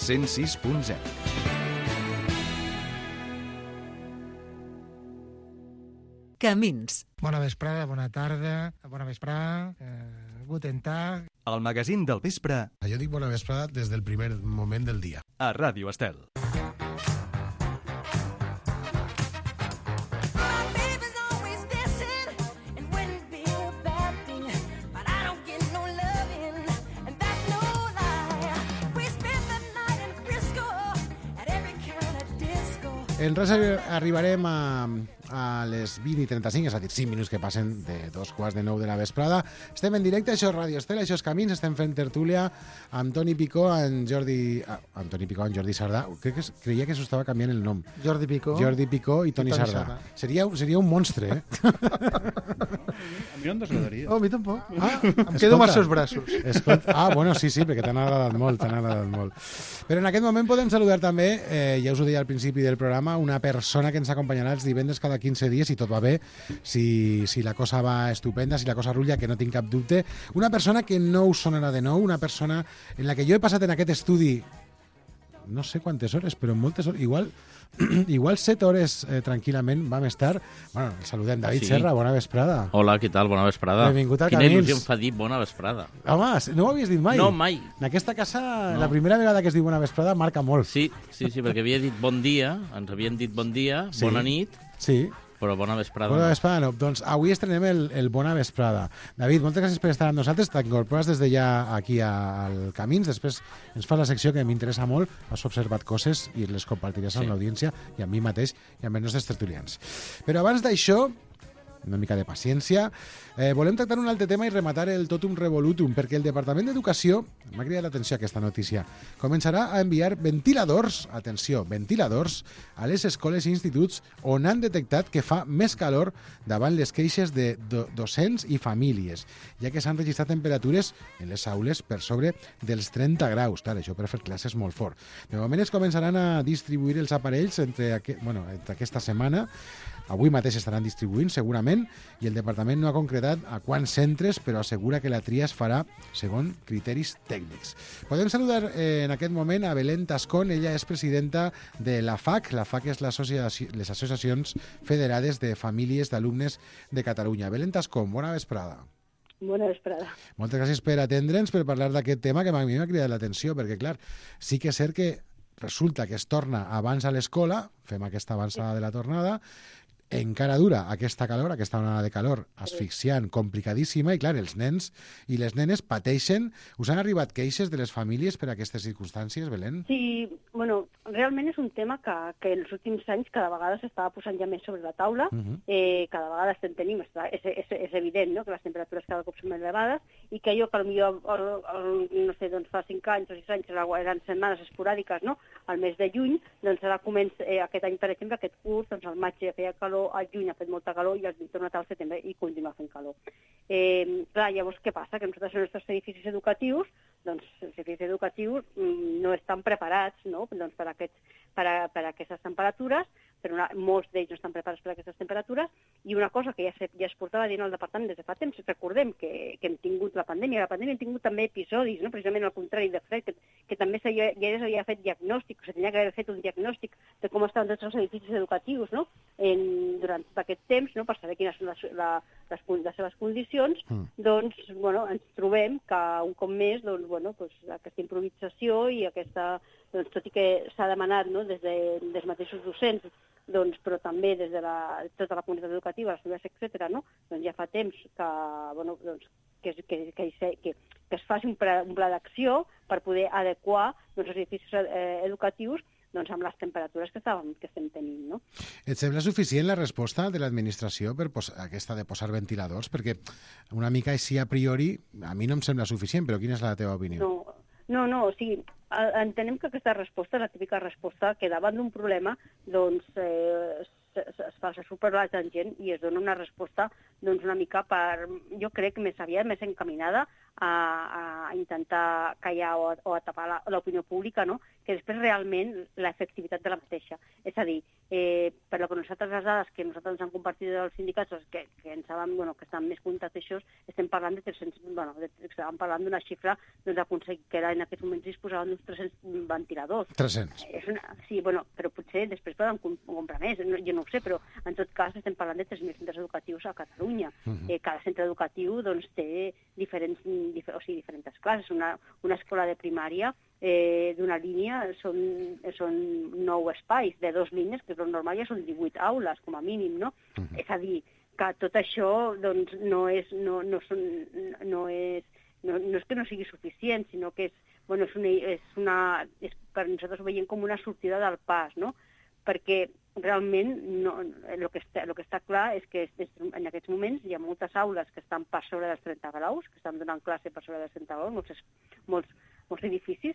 cent sis punt zero. Camins. Bona vesprada, bona tarda, bona vesprada, eh, guten tag. El magazín del vespre Jo dic bona vesprada des del primer moment del dia. a Ràdio Estel. En res arribarem a, a les vint i trenta-cinc, és a dir, cinc minuts que passen de dos quarts de nou de la vesprada. Estem en directe, això és Ràdio Estel, això és Camins, estem fent tertúlia amb Toni Picó, amb Jordi... Ah, amb Toni Picó, amb Jordi Sardà. Crec que es, creia que s'ho estava canviant el nom. Jordi Picó. Jordi Picó i Toni, I Toni Sardà. Sardà. Seria, seria un monstre, eh? A mi no em desagradaria. Oh, a mi tampoc. Ah, em quedo amb els seus braços. Escolta, ah, bueno, sí, sí, perquè t'han agradat molt, t'han agradat molt. Però en aquest moment podem saludar també, eh, ja us ho deia al principi del programa, una persona que ens acompanyarà els divendres cada quinze dies, si tot va bé, si, si la cosa va estupenda, si la cosa rutlla, que no tinc cap dubte. Una persona que no us sonarà de nou, una persona en la que jo he passat en aquest estudi no sé quantes hores, però moltes hores, igual, igual set hores eh, tranquil·lament vam estar. Bueno, el saludem. David Sí. Serra, bona vesprada. Hola, què tal? Bona vesprada. Benvingut a Quina Camins. il·lusió em fa dir bona vesprada. Home, no ho havies dit mai? No, mai. En aquesta casa, No. la primera vegada que es diu bona vesprada marca molt. Sí, sí, sí, perquè havia dit bon dia, ens havien dit bon dia, Sí. bona nit, Sí. però bona vesprada. Bona no. vesprada, no. Doncs avui estrenem el, el Bona Vesprada. David, moltes gràcies per estar amb nosaltres. T'incorpores des de ja aquí a- al Camins. Després ens fas la secció que m'interessa molt. Has observat coses i les compartiràs Sí. amb l'audiència i amb mi mateix i amb els nostres tertulians. Però abans d'això, una mica de paciència, eh, volem tractar un altre tema i rematar el totum revolutum, perquè el Departament d'Educació, m'ha cridat l'atenció aquesta notícia, començarà a enviar ventiladors, atenció, ventiladors, a les escoles i instituts on han detectat que fa més calor davant les queixes de do docents i famílies, ja que s'han registrat temperatures en les aules per sobre dels trenta graus. Clar, això per fer classes molt fort. De moment es començaran a distribuir els aparells entre, aqu bueno, entre aquesta setmana. Avui mateix estaran distribuint, segurament, i el departament no ha concretat a quants centres, però assegura que la tria es farà segons criteris tècnics. Podem saludar eh, en aquest moment a Belén Tascón. Ella és presidenta de la F A C. La F A C és l'associació- les Associacions Federades de Famílies d'Alumnes de Catalunya. Belén Tascón, bona vesprada. Bona vesprada. Moltes gràcies per atendre'ns, per parlar d'aquest tema que a mi m'ha cridat l'atenció, perquè, clar, sí que és cert que resulta que es torna abans a l'escola, fem aquesta avançada de la tornada, encara dura aquesta calor, aquesta onada de calor asfixiant, complicadíssima, i clar, els nens i les nenes pateixen. Us han arribat queixes de les famílies per aquestes circumstàncies, Belén? Sí, bueno, realment és un tema que, que en els últims anys cada vegada s'estava posant ja més sobre la taula. Uh -huh. eh, cada vegada estem tenim, està, és, és, és evident, no?, que les temperatures cada cop són més elevades i que allò que potser, el, el, no sé, doncs fa cinc anys o sis anys eren setmanes esporàdiques, no?, al mes de juny, doncs ara comença, eh, aquest any, per exemple, aquest curs, doncs al maig ja feia calor, al juny ha fet molta calor i al tornat al setembre i continua fent calor. Eh, clar, llavors què passa? Que nosaltres en els nostres edificis educatius, doncs els edificis educatius mm, no estan preparats, no?, doncs, per, aquests, per, a, per a aquestes temperatures, però una, molts d'ells no estan preparats per a aquestes temperatures, i una cosa que ja, se, ja es portava dient al departament des de fa temps, recordem que, que hem tingut la pandèmia, la pandèmia hem tingut també episodis, no?, precisament al contrari de fred, que, que també s'ha ja, ja s'havia fet diagnòstic, o sigui, tenia que haver fet un diagnòstic de com estaven tots els edificis educatius, no?, en, durant tot aquest temps, no?, per saber quines són les, la, les, les seves condicions, mm. doncs, bueno, ens trobem que un cop més, doncs, bueno, doncs, aquesta improvisació i aquesta, doncs, tot i que s'ha demanat, no?, des, de, des dels mateixos docents, doncs, però també des de la, tota la comunitat educativa, les universitats, etcètera, no?, doncs ja fa temps que, bueno, doncs, que, que, que, que, que es faci un pla, un pla d'acció per poder adequar doncs, els edificis eh, educatius doncs, amb les temperatures que, estàvem, que estem tenint. No? Et sembla suficient la resposta de l'administració per aquesta de posar ventiladors? Perquè una mica així a priori a mi no em sembla suficient, però quina és la teva opinió? No, no, no o sigui, entenem que aquesta resposta és la típica resposta que davant d'un problema doncs, eh, es, es fa super la tangent i es dona una resposta doncs, una mica per, jo crec, més aviat, més encaminada a, a intentar callar o a, o a tapar l'opinió pública, no? Que després realment l'efectivitat de la mateixa. És a dir, eh, per lo que nosaltres les dades que nosaltres ens han compartit dels sindicats, que, que ens saben, bueno, que estan més contacteixos, estem parlant de tres-cents, bueno, de, estàvem parlant d'una xifra doncs, d'aconseguir que era, en aquests moments disposaven d'uns tres-cents ventiladors. tres-cents. És una, sí, bueno, però potser després poden comprar més, no, jo no ho sé, però en tot cas estem parlant de tres mil centres educatius a Catalunya. Uh-huh. eh, cada centre educatiu doncs, té diferents, dif o sigui, diferents classes. Una, una escola de primària eh, d'una línia són, són nou espais, de dos línies, que és el normal, ja són divuit aules, com a mínim, no? Uh-huh. És a dir, que tot això doncs, no, és, no, no, són, no, és, no, no és que no sigui suficient, sinó que és, bueno, és una, és una, és, per nosaltres ho veiem com una sortida del pas, no? Perquè realment no, el, que està, el que està clar és que en aquests moments hi ha moltes aules que estan per sobre dels trenta graus, que estan donant classe per sobre dels trenta graus, molts, molts, molts edificis,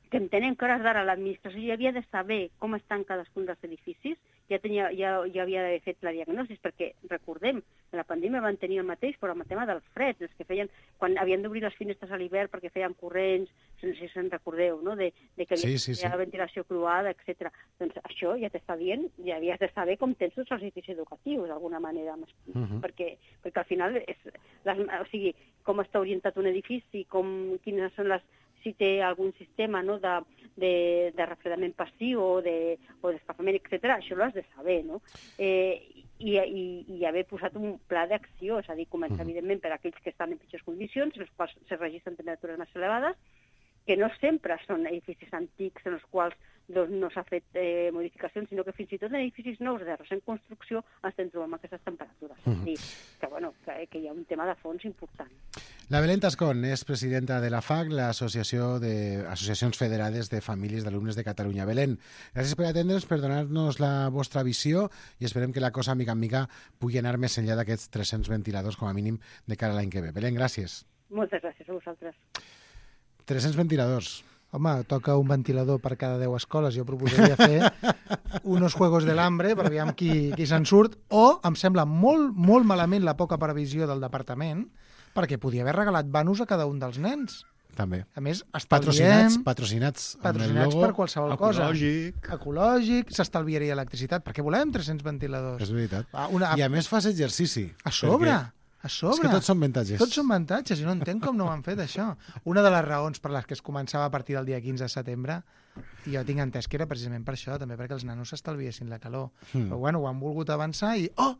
que entenem que hores d'ara l'administració ja havia de saber com estan cadascun dels edificis, ja, tenia, ja, ja havia d'haver fet la diagnosi, perquè recordem, en la pandèmia van tenir el mateix, però amb el tema del fred, els que feien, quan havien d'obrir les finestres a l'hivern perquè feien corrents, no sé si se'n recordeu, no? de, de que havia sí, sí, sí. ventilació croada, etcètera. Doncs això ja t'està dient, ja havies de saber com tens tots els edificis educatius, d'alguna manera, uh -huh. perquè, perquè al final, és, les, o sigui, com està orientat un edifici, com, quines són les si té algun sistema no, de, de, de refredament passiu o d'escalfament, etcètera, això l'has de saber, no? Eh, i, i, i haver posat un pla d'acció, és a dir, començar, uh-huh. evidentment, per aquells que estan en pitjors condicions, en els quals se registren temperatures més elevades, que no sempre són edificis antics en els quals doncs, no s'ha fet eh, modificacions, sinó que fins i tot en edificis nous de recent construcció estem trobant aquestes temperatures. Uh -huh. És a dir, que, bueno, que, que hi ha un tema de fons important. La Belén Tascón és presidenta de la F A C, l'Associació d'Associacions Federades de Famílies d'Alumnes de Catalunya. Belén, gràcies per atendre'ns, per donar-nos la vostra visió i esperem que la cosa, mica en mica, pugui anar més enllà d'aquests tres-cents ventiladors, com a mínim, de cara a l'any que ve. Belén, gràcies. Moltes gràcies a vosaltres. tres-cents ventiladors. Home, toca un ventilador per cada deu escoles. Jo proposaria fer unos juegos del hambre per veure qui, qui se'n surt. O em sembla molt, molt malament la poca previsió del departament perquè podia haver regalat vanos a cada un dels nens. També. A més, patrocinats, patrocinats, patrocinats per qualsevol cosa. Ecològic. Ecològic, s'estalviaria electricitat. Per què volem tres-cents ventiladors? És veritat. Una... I a més fas exercici. A sobre. Perquè... A sobre. És que tots són avantatges. Tots són avantatges, i no entenc com no ho han fet, això. Una de les raons per les que es començava a partir del dia quinze de setembre, i jo tinc entès que era precisament per això, també perquè els nanos s'estalviessin la calor. Mm. Però bueno, ho han volgut avançar i... Oh!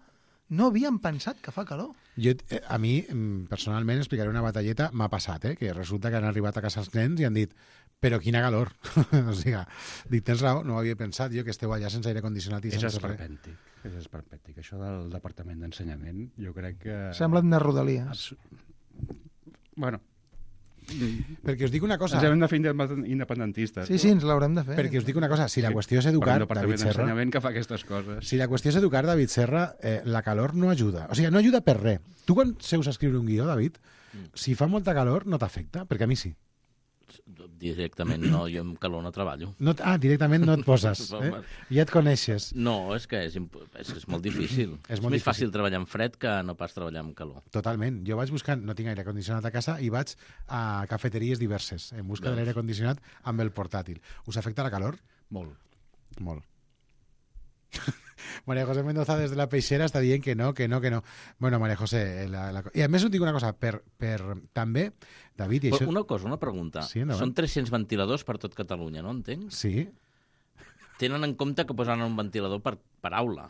No havien pensat que fa calor. Jo, a mi, personalment, explicaré una batalleta, m'ha passat, eh? Que resulta que han arribat a casa els nens i han dit però quina calor. O sigui, dic, tens raó, no ho havia pensat jo, que esteu allà sense aire condicionat i és sense esperpèntic, és esperpèntic. Això del Departament d'Ensenyament, jo crec que... Sembla una rodalia. Es... Bueno... Perquè us dic una cosa... Ens hem de fer independentistes. Sí, sí, ens l'haurem de fer. Perquè us dic una cosa, si la qüestió és educar, David Serra... que fa aquestes coses. Si la qüestió és educar, David Serra, eh, la calor no ajuda. O sigui, no ajuda per res. Tu quan seus a escriure un guió, David, si fa molta calor no t'afecta, perquè a mi sí. Directament no, jo amb calor no treballo. No, ah, directament no et poses, eh? Ja et coneixes. No, és que és, és, és molt difícil. és molt és més difícil. Fàcil treballar en fred que no pas treballar amb calor. Totalment. Jo vaig buscant, no tinc aire condicionat a casa, i vaig a cafeteries diverses en busca de l'aire condicionat amb el portàtil. Us afecta la calor? Molt. Molt. María José Mendoza des de la Peixera està dient que no, que no, que no. Bueno, María José... La, la... I a més us dic una cosa, per, per també, David... I Però això... una cosa, una pregunta. Sí, Són tres-cents ventiladors per tot Catalunya, no entenc? Sí. Tenen en compte que posaran un ventilador per, per aula.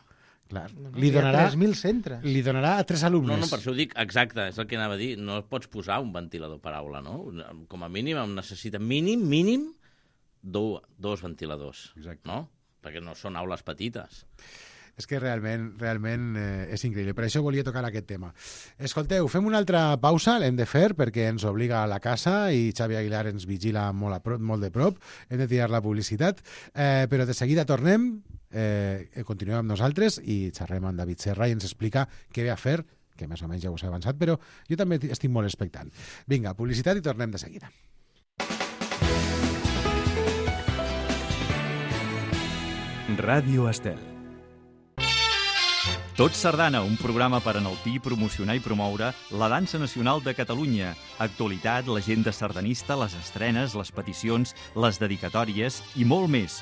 Clar. No, no, Li hi ha donarà, tres mil centres. li donarà a tres alumnes. No, no, per això ho dic, exacte, és el que anava a dir. No pots posar un ventilador per aula, no? Com a mínim em necessita mínim, mínim, do, dos ventiladors. Exacte. No? Perquè no són aules petites. És que realment, realment eh, és increïble. Per això volia tocar aquest tema. Escolteu, fem una altra pausa, l'hem de fer perquè ens obliga a la casa i Xavi Aguilar ens vigila molt, a prop, molt de prop. Hem de tirar la publicitat. Eh, però de seguida tornem, eh, continuem amb nosaltres i xerrem amb David Serra i ens explica què ve a fer, que més o menys ja us he avançat, però jo també estic molt expectant. Vinga, publicitat i tornem de seguida. Ràdio Estel. Tot Sardana, un programa per enaltir, promocionar i promoure la dansa nacional de Catalunya. Actualitat, l'agenda sardanista, les estrenes, les peticions, les dedicatòries i molt més.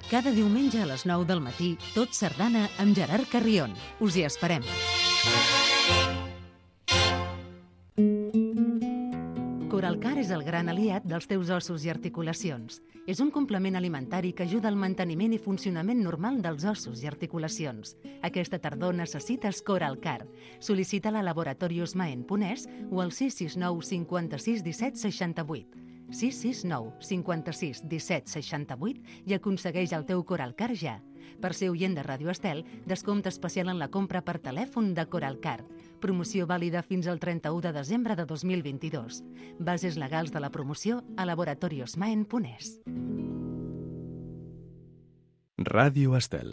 Cada diumenge a les nou del matí, Tot Sardana amb Gerard Carrion. Us hi esperem. Coralcar és el gran aliat dels teus ossos i articulacions. És un complement alimentari que ajuda al manteniment i funcionament normal dels ossos i articulacions. Aquesta tardor necessites Coralcar. Sol·licita-la a Laboratorios Maen Ponès o al sis sis nou cinquanta-sis disset seixanta-vuit. sis sis nou cinquanta-sis disset seixanta-vuit i aconsegueix el teu Coralcar ja. Per ser oient de Ràdio Estel, descompte especial en la compra per telèfon de Coralcar. Promoció vàlida fins al trenta-u de desembre de dos mil vint-i-dos. Bases legals de la promoció a Laboratorios Maen Ponès. Ràdio Estel.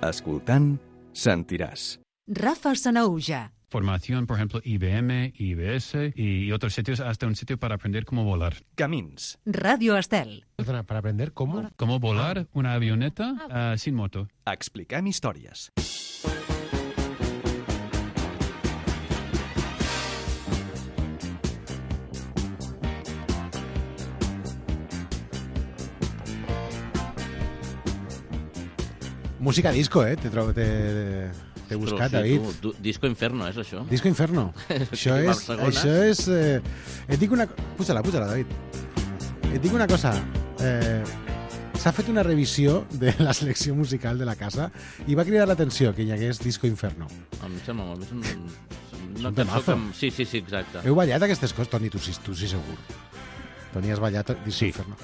Escoltant, sentiràs. Rafa Sanaúja. Formación, por ejemplo, I B M, I B S y otros sitios, hasta un sitio para aprender cómo volar. Camins. Radio Estel. Perdona, para aprender cómo... Cómo volar una avioneta uh, sin moto. Expliquem històries. Música disco, eh? Te trobo... Te... T'he buscat, sí, David. Tu, tu, Disco Inferno, és això? Disco Inferno. això és... Això és eh... Et dic una... Puja-la, puja-la, David. Et dic una cosa. Eh... S'ha fet una revisió de la selecció musical de la casa i va cridar l'atenció que hi hagués Disco Inferno. Em sembla molt bé. És un, un una temazo. Que... Sí, sí, sí, exacte. Heu ballat aquestes coses? Toni, tu sí, tu sí segur. Toni, has ballat Disco sí. Inferno.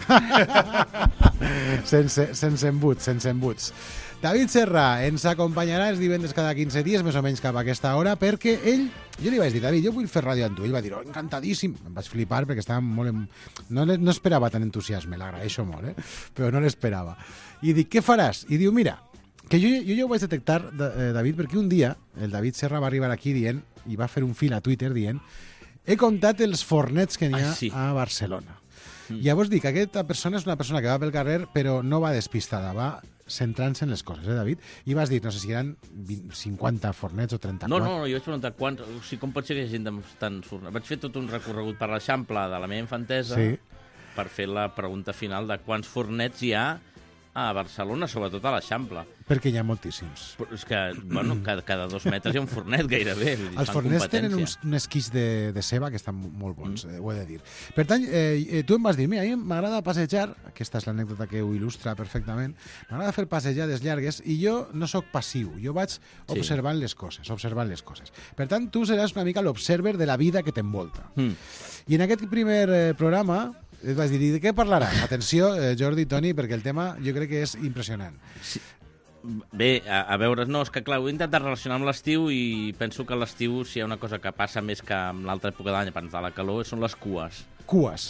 sense, sense embuts, sense embuts. David Serra ens acompanyarà els divendres cada quinze dies, més o menys cap a aquesta hora, perquè ell, jo li vaig dir, David, jo vull fer ràdio amb tu. Ell va dir, oh, encantadíssim. Em vaig flipar perquè estava molt... En... No, no esperava tant entusiasme, l'agraeixo molt, eh? Però no l'esperava. I dic, què faràs? I diu, mira, que jo, jo ja ho vaig detectar, David, perquè un dia el David Serra va arribar aquí dient, i va fer un fil a Twitter dient, he comptat els fornets que n'hi ha ah, sí. a Barcelona. Mm. Llavors dic, aquesta persona és una persona que va pel carrer, però no va despistada, va centrant-se en les coses, eh, David? I vas dir, no sé si eren vint, cinquanta fornets o trenta-quatre. No, no, no, jo vaig preguntar quants, o sigui, com pot ser que hi hagi gent de tants fornets. Vaig fer tot un recorregut per l'Eixample de la meva infantesa sí. per fer la pregunta final de quants fornets hi ha a Barcelona, sobretot a l'Eixample. Perquè hi ha moltíssims. Però és que, bueno, cada, cada dos metres hi ha un fornet gairebé. Els fornets tenen uns, un esquís de, de ceba que estan molt bons, mm. eh, ho he de dir. Per tant, eh, tu em vas dir, mira, a mi m'agrada passejar, aquesta és l'anècdota que ho il·lustra perfectament, m'agrada fer passejades llargues i jo no sóc passiu, jo vaig observant sí. les coses, observant les coses. Per tant, tu seràs una mica l'observer de la vida que t'envolta. Mm. I en aquest primer eh, programa et vas dir, de què parlarà? Atenció, eh, Jordi i Toni, perquè el tema jo crec que és impressionant. Sí. Bé, a, a veure, no, és que clar, ho he intentat relacionar amb l'estiu i penso que l'estiu, si hi ha una cosa que passa més que en l'altra època de l'any, abans de la calor, són les cues. Cues.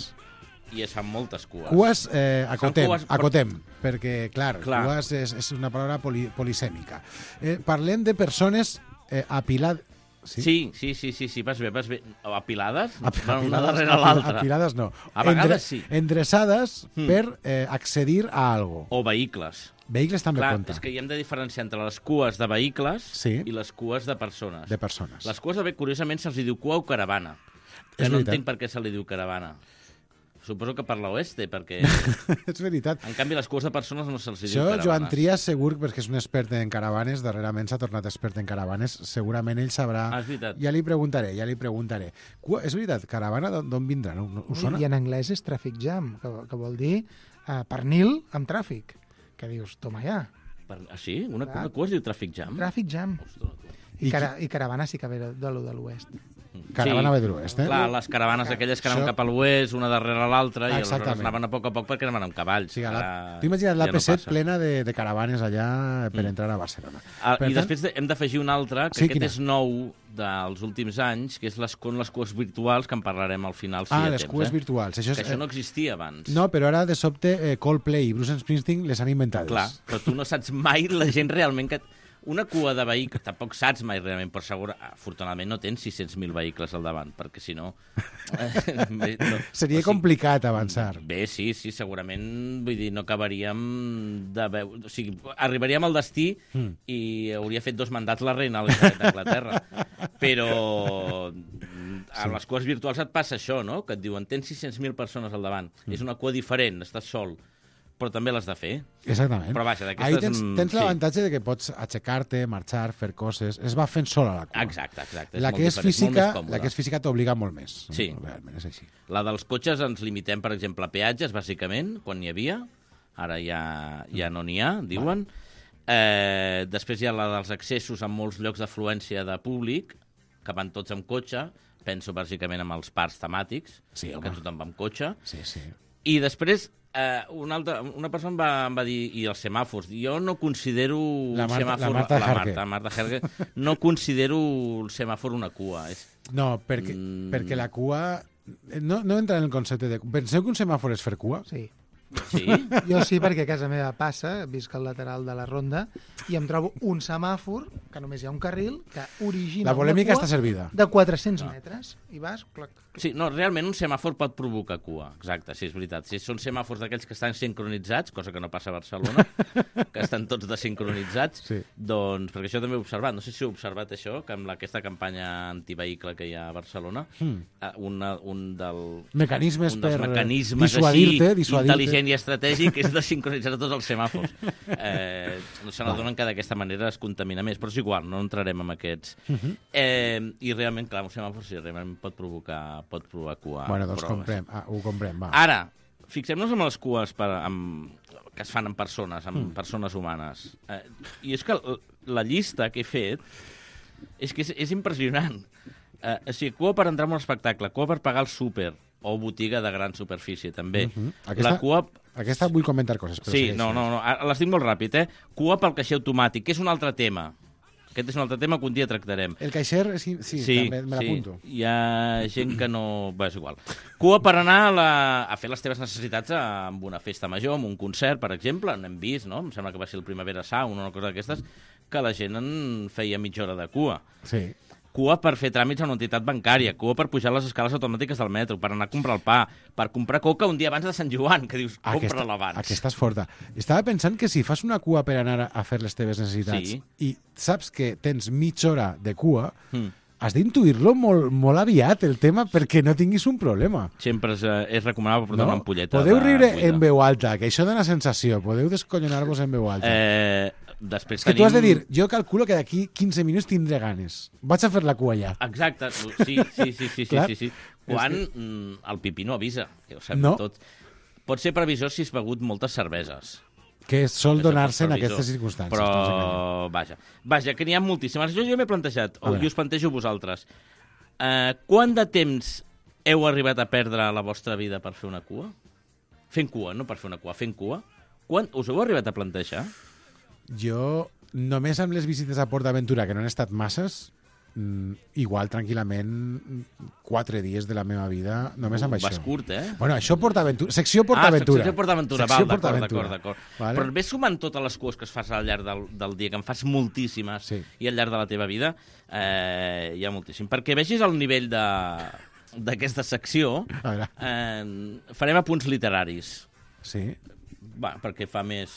I es fan moltes cues. Cues, eh, acotem, cues, acotem, perquè, clar, clar. cues és, és una paraula poli, polisèmica. Eh, parlem de persones eh, apilades... Sí? Sí, sí, sí, sí, sí, vas bé, vas bé. Apilades? Apilades una darrere l'altra. Apilades no. A vegadesEndre, sí. Endreçades mm. per eh, accedir a algo. O vehicles. Vehicles també Clar, compta. És que hi hem de diferenciar entre les cues de vehicles sí. i les cues de persones. De persones. Les cues de vehicles, curiosament, se'ls diu cua o caravana. És no veritat. entenc per què se li diu caravana. Suposo que per l'oeste, perquè... És veritat. En canvi, les cues de persones no se'ls diu Això, caravanes. Joan Trias, segur, perquè és un expert en caravanes, darrerament s'ha tornat expert en caravanes, segurament ell sabrà... Ah, és veritat. Ja li preguntaré, ja li preguntaré. Cua, és veritat, caravana d'on vindrà? No, no, us sona? I en anglès és traffic jam, que, que vol dir uh, pernil amb tràfic. Que dius, toma ja. Per... Ah, sí? Una, una cua es diu traffic jam? Tràfic jam. I, I, cara, I caravana sí que ve de lo de l'oest. Caravana ve de l'oest, eh? Clar, les caravanes aquelles que anaven Això- cap a l'oest, una darrere l'altra, i aleshores Exactament. anaven a poc a poc perquè anaven amb cavalls. Sí, la, Ara tu imagina't l'A ja P no set passa. plena de, de caravanes allà per Mm. entrar a Barcelona. Ah, Per I tant- després de- hem d'afegir un altre, que Sí, aquest quina? és nou dels últims anys, que és les, con les cues virtuals, que en parlarem al final. Si Ah, hi ha les temps, cues eh? virtuals. Això és, que això eh, no existia abans. No, però ara de sobte eh, Coldplay i Bruce Springsteen les han inventades. Clar, però tu no saps mai la gent realment que... Una cua de vehicles, tampoc saps mai realment, però segur, afortunadament no tens sis-cents mil vehicles al davant, perquè si no... Eh, bé, no Seria o sigui, complicat avançar. Bé, sí, sí, segurament, vull dir, no acabaríem de veure... O sigui, arribaríem al destí Mm. i hauria fet dos mandats la reina Elisabet d'Anglaterra. Però a les cues virtuals et passa això, no? Que et diuen, tens sis-cents mil persones al davant. Mm. És una cua diferent, estàs sol, però també l'has de fer. Exactament. Però vaja, Ahí d'aquestes... tens, mm, tens sí. l'avantatge de que pots aixecar-te, marxar, fer coses. Es va fent sola la cua. Exacte, exacte. La molt que és diferent, molt física, més còmode. la que és física t'obliga molt més. Sí. Realment és així. La dels cotxes ens limitem, per exemple, a peatges, bàsicament, quan n'hi havia. Ara ja, ja no n'hi ha, diuen. Eh, després hi ha la dels accessos en molts llocs d'afluència de públic, que van tots amb cotxe. Penso bàsicament amb els parcs temàtics, Sí, home. que tothom va amb cotxe. Sí, sí. I després, eh, una, altra, una persona em va, em va dir, i els semàfors, jo no considero La un Marta- semàfor... la Marta la Jergue. Marta, Marta Jergue, no considero el semàfor una cua. És... No, perquè, Mm. perquè la cua... No, no entra en el concepte de... Penseu que un semàfor és fer cua? Sí. Sí? Jo sí, perquè a casa meva passa, visc al lateral de la ronda, i em trobo un semàfor, que només hi ha un carril, que origina La polèmica una cua està servida. de quatre-cents No. metres. I vas... Clac, Sí, no, realment un semàfor pot provocar cua, exacte, sí, és veritat. Si són semàfors d'aquells que estan sincronitzats, cosa que no passa a Barcelona, que estan tots desincronitzats, Sí. doncs, perquè això també ho he observat, no sé si heu observat això, que amb aquesta campanya antivehicle que hi ha a Barcelona, Hmm. eh, una, un, del, Mecanismes un dels per mecanismes dissuadir-te, així, dissuadir-te. intel·ligent i estratègic és de sincronitzar tots els semàfors. Eh, se n'adonen que d'aquesta manera es contamina més, però és igual, no entrarem en aquests. Mhm. Eh, I realment, clar, un semàfor sí, realment pot provocar, pot provocar cua. Bueno, doncs proves. comprem. Ah, ho comprem, va. Ara, fixem-nos en les cues per, amb, que es fan amb persones, amb Mm. persones humanes. Eh, I és que l- la llista que he fet és que és, és impressionant. Eh, o sigui, cua per entrar en un espectacle, cua per pagar el súper, o botiga de gran superfície, també. Mhm. Aquesta- La cua... Aquesta vull comentar coses. Però Sí, segueix. no, no, no, ara les dic molt ràpid, eh? Cua pel caixer automàtic, que és un altre tema. Aquest és un altre tema que un dia tractarem. El caixer, sí, sí, també me l'apunto. Hi ha gent que no... Bé, és igual. Cua per anar a, la... a fer les teves necessitats a... amb una festa major, amb un concert, per exemple. N'hem vist, no? Em sembla que va ser el Primavera Sound, una cosa d'aquestes, que la gent en feia mitja hora de cua. Sí. Cua per fer tràmits a una entitat bancària, cua per pujar les escales automàtiques del metro, per anar a comprar el pa, per comprar coca un dia abans de Sant Joan, que dius, compra-la abans. Aquesta és forta. Estava pensant que si fas una cua per anar a fer les teves necessitats Sí. i saps que tens mitja hora de cua, Mm. has d'intuir-lo molt, molt aviat, el tema, perquè no tinguis un problema. Sempre és, eh, és recomanable portar No? una ampolleta. Podeu de riure buida. en veu alta, que això dona sensació. Podeu descollonar-vos en veu alta. Eh, després És que tenim... tu has de dir, jo calculo que d'aquí quinze minuts tindré ganes. Vaig a fer la cua ja. Exacte, sí, sí, sí, sí, sí, Clar. sí, sí. Quan mm, el pipí no avisa, que ho sabem No. tot. Pot ser previsor si has begut moltes cerveses. Que sol donar-se en Previsor. aquestes circumstàncies. no ens enganyem. Però, vaja, vaja, que n'hi ha moltíssimes. Jo ja m'he plantejat, A o veure. i us plantejo vosaltres, uh, quant de temps heu arribat a perdre a la vostra vida per fer una cua? Fent cua, no per fer una cua, fent cua. Quan us heu arribat a plantejar? Jo, només amb les visites a Port d'Aventura, que no han estat masses, mm, igual tranquil·lament mm, quatre dies de la meva vida, només amb Uh, això. vas curt, eh? Bueno, això PortAventura, secció PortAventura. Ah, secció PortAventura, Secció val, d'acord, PortAventura. d'acord, d'acord. Vale? Però ves sumant totes les cues que es fas al llarg del, del dia, que en fas moltíssimes, Sí. i al llarg de la teva vida, eh, hi ha moltíssim. Perquè vegis el nivell de d'aquesta secció, A veure. eh, farem apunts literaris. Sí. Va, perquè fa més...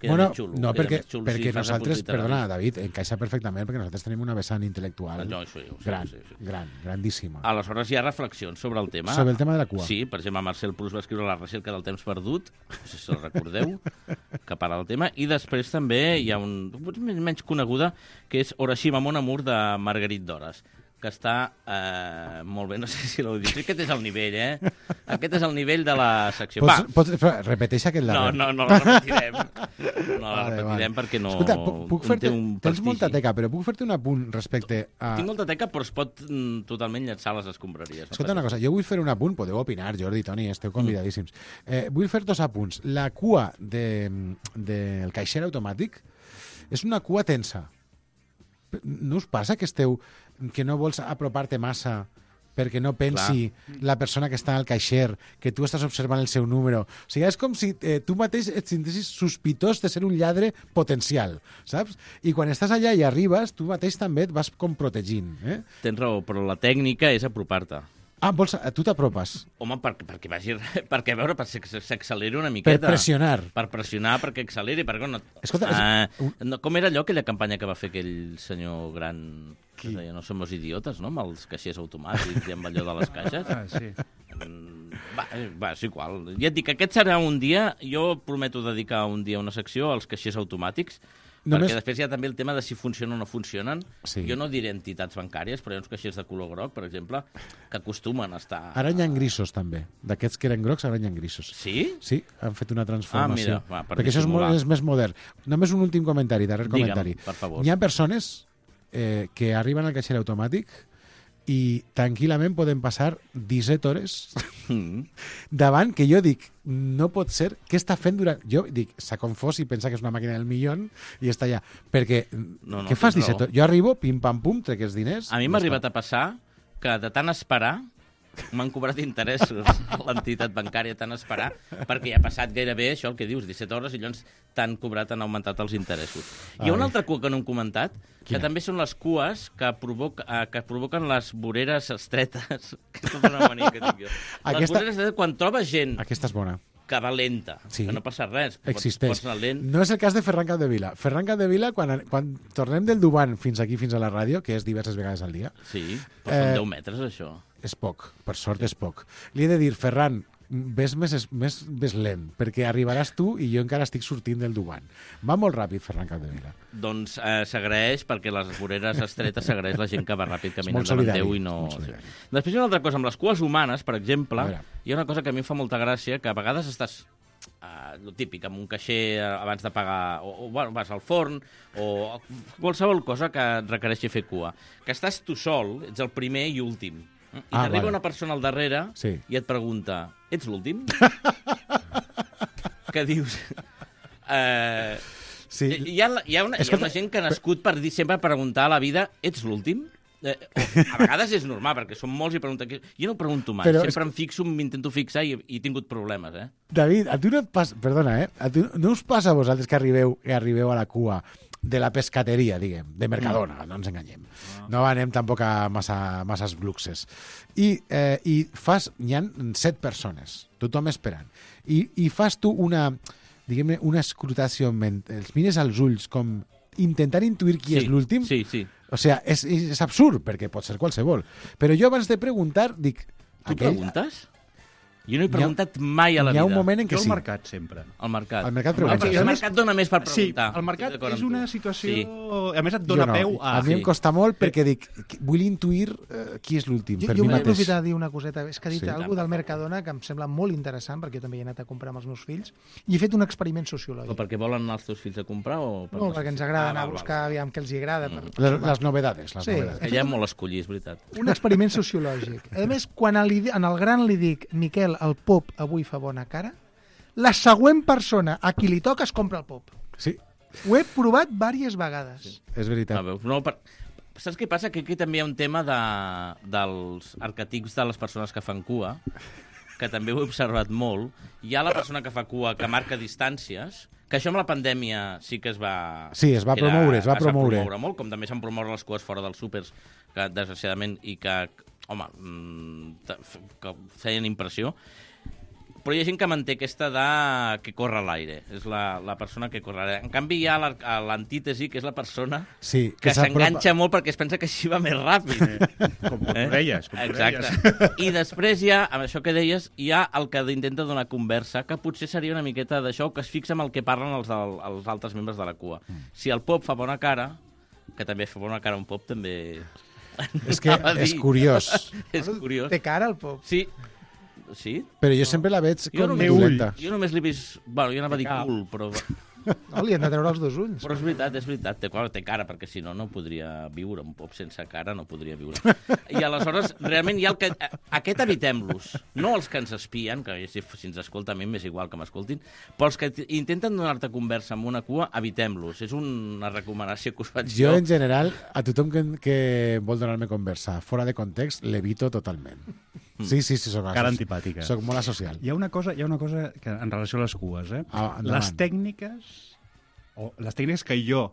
Queda Bueno, més xulo. no, queda perquè, més xulo perquè si fas nosaltres, apunts literaris. perdona, David, encaixa perfectament perquè nosaltres tenim una vessant intel·lectual No, això ja ho sé, gran, sí, sí. gran, grandíssima. Aleshores hi ha reflexions sobre el tema. Sobre el tema de la cua. Sí, per exemple, Marcel Proust va escriure La recerca del temps perdut, no sé si el recordeu, que parla del tema, i després també hi ha un, potser menys coneguda, que és Orashima Mon Amour de Marguerite Duras, que està eh, molt bé, no sé si l'heu dit. Aquest és el nivell, eh? Aquest és el nivell de la secció. Pots, Va. pots, però repeteix aquest No, darrer. no, no la repetirem. No la Vale, repetirem vale. perquè no... Escolta, puc, puc té fer-te... un Tens prestigi. molta teca, però puc fer-te un apunt respecte a... Tinc molta teca, però es pot mm, totalment llançar a les escombraries. Escolta una cosa, jo vull fer un apunt, podeu opinar, Jordi, Toni, esteu convidadíssims. Eh, vull fer dos apunts. La cua del de, de caixer automàtic és una cua tensa. No us passa que esteu que no vols apropar-te massa perquè no pensi Clar. la persona que està al caixer que tu estàs observant el seu número? O sigui, és com si eh, tu mateix et sentessis sospitós de ser un lladre potencial, saps? I quan estàs allà i arribes, tu mateix també et vas com protegint. Eh? Tens raó, però la tècnica és apropar-te. Ah, vols, tu t'apropes? Home, per, perquè vagi... Perquè, a veure, per s'acceleri una miqueta. Per pressionar. Per pressionar, perquè acceleri, perquè no... Escolta, uh, no, com era allò, aquella campanya que va fer aquell senyor gran... Que es deia, no somos idiotes, no?, amb els caixers automàtics i amb allò de les caixes. Ah, sí. Va, va, és igual. Ja et dic, aquest serà un dia... Jo prometo dedicar un dia una secció als caixers automàtics, Només... perquè després hi ha també el tema de si funcionen o no funcionen. Sí. Jo no diré entitats bancàries, però hi ha uns caixers de color groc, per exemple, que acostumen a estar... Ara hi ha grisos, també. D'aquests que eren grocs, ara hi ha grisos. Sí? Sí, han fet una transformació. Ah, mira, va, per perquè això és, dissimular. és més modern. Només un últim comentari, darrer Digue'm, comentari. per favor. Hi ha persones eh, que arriben al caixer automàtic i tranquil·lament poden passar disset hores mm. davant, que jo dic, no pot ser, què està fent durant... Jo dic, s'ha confós i pensa que és una màquina del milió i està allà. Perquè, no, no, què fas tens disset raó. hores? Jo arribo, pim-pam-pum, trec els diners... A mi m'ha arribat a passar que de tant esperar m'han cobrat interessos l'entitat bancària, tant esperar, perquè ja ha passat gairebé això, el que dius, disset hores, i llavors t'han cobrat, han augmentat els interessos. Ai. Hi ha una altra cua que no hem comentat, que Quina? també són les cues que, provoca, eh, que provoquen les voreres estretes. Que és tota una mania que tinc jo. Aquesta... Les voreres estretes, quan trobes gent Aquesta és bona. que va lenta, Sí. que no passa res, Existeix. pots anar lent. No és el cas de Ferran Capdevila. Ferran Capdevila, quan, quan tornem del Duban fins aquí, fins a la ràdio, que és diverses vegades al dia... Sí, però són Eh, deu metres, això. És poc, per sort és poc. Li he de dir, Ferran, ves més, més, més lent, perquè arribaràs tu i jo encara estic sortint del Duban. Va molt ràpid, Ferran Capdevila. Doncs eh, s'agraeix, perquè les voreres estretes s'agraeix la gent que va ràpid caminant molt davant solidari, teu i no... molt solidari. Després hi ha una altra cosa, amb les cues humanes, per exemple, A veure. hi ha una cosa que a mi em fa molta gràcia, que a vegades estàs, uh, lo típic, amb un caixer abans de pagar, o, o bueno, vas al forn, o qualsevol cosa que et requereixi fer cua. Que estàs tu sol, ets el primer i últim. I Ah, t'arriba vale. una persona al darrere Sí. i et pregunta, ets l'últim? Que dius... Eh, Sí. hi, ha, hi, ha una, hi ha Escolta, una gent que ha nascut per dir sempre preguntar a la vida, ets l'últim? Eh, o, a vegades és normal, perquè són molts i pregunten... Jo no pregunto mai, Però sempre és- em fixo, m'intento fixar i, i he tingut problemes, eh? David, a tu no et passa... Perdona, eh? A tu no us passa a vosaltres que arribeu, que arribeu a la cua de la pescateria, diguem, de Mercadona, mm. no ens enganyem. No anem tampoc a massa, masses luxes. I, eh, i fas... Hi ha set persones, tothom esperant. I, i fas tu una, diguem-ne, una escrutació en ment. Els mires als ulls com intentar intuir qui Sí, és l'últim. sí, sí. O sigui, és, és absurd, perquè pot ser qualsevol. Però jo abans de preguntar dic... Tu preguntes? Jo no he preguntat mai a la hi ha vida. un moment en què Jo al sí. mercat, sempre. Al mercat. Al mercat Ah, preguntes. perquè el mercat dona més per Sí, preguntar. el mercat Estic d'acord és amb una tu. situació... Sí. A més, et Jo dona no. peu a... A mi em sí. costa molt perquè dic, vull intuir eh, qui és l'últim, Jo, per jo mi vull mateix. aprofitar de dir una coseta. És que ha dit Sí. sí. alguna del Mercadona que em sembla molt interessant, perquè jo també hi he anat a comprar amb els meus fills, i he fet un experiment Però sociològic. perquè volen anar els teus fills a comprar o... Per No, perquè ens agrada Ah, anar a val, buscar val. aviam què els hi agrada. Per... Les, les novedades, les Sí. novedades. Que ja molt escollir, és veritat. Un experiment sociològic. A més, quan li, en el gran li dic Miquel, el pop avui fa bona cara, la següent persona a qui li toca es compra el pop. Sí, Ho he provat diverses vegades. Sí. és veritat. Ah, veus? No, per... Saps què passa? Que aquí també hi ha un tema de... dels arquetips de les persones que fan cua, que també ho he observat molt. Hi ha la persona que fa cua que marca distàncies, que això amb la pandèmia sí que es va... Sí, es va era- promoure, es va promoure. promoure molt, com també s'han promort les cues fora dels súpers, que desgraciadament, i que, home, mm, te- f- que feien impressió. Però Però hi ha gent que manté aquesta de que corre a l'aire. És la, la persona que corre a l'aire. En canvi, hi ha la- l'antítesi, que és la persona Sí, que que s'apropa- s'enganxa molt perquè es pensa que així va més ràpid. Com correies, com Exacte. I després hi ha, amb això que deies, hi ha el que intenta donar conversa, que potser seria una miqueta d'això, que es fixa en el que parlen els, del, els altres membres de la cua. Si el pop fa bona cara, que també fa bona cara un pop, també... És que Anava a és dir. curiós. És curiós. Té cara el pop. Sí. Sí? Però jo sempre la veig Jo com només, dolenta. jo només l'he vist... Bueno, jo anava a dir cul, però... No, li han de treure els dos ulls. Però és veritat, és veritat. Té, clar, té cara, perquè si no, no podria viure. Un pop sense cara no podria viure. I aleshores, realment, hi ha el que... Aquest evitem-los. No els que ens espien, que si, si ens escolta a mi m'és igual que m'escoltin, però els que t- intenten donar-te conversa amb una cua, evitem-los. És una recomanació que us faig Jo, en general, a tothom que, que vol donar-me conversa fora de context, l'evito totalment. Sí, sí, sí, soc, Cara antipàtica. soc molt asocial. Hi ha una cosa, hi ha una cosa que, en relació a les cues, eh? Ah, endavant. les tècniques, o les tècniques que jo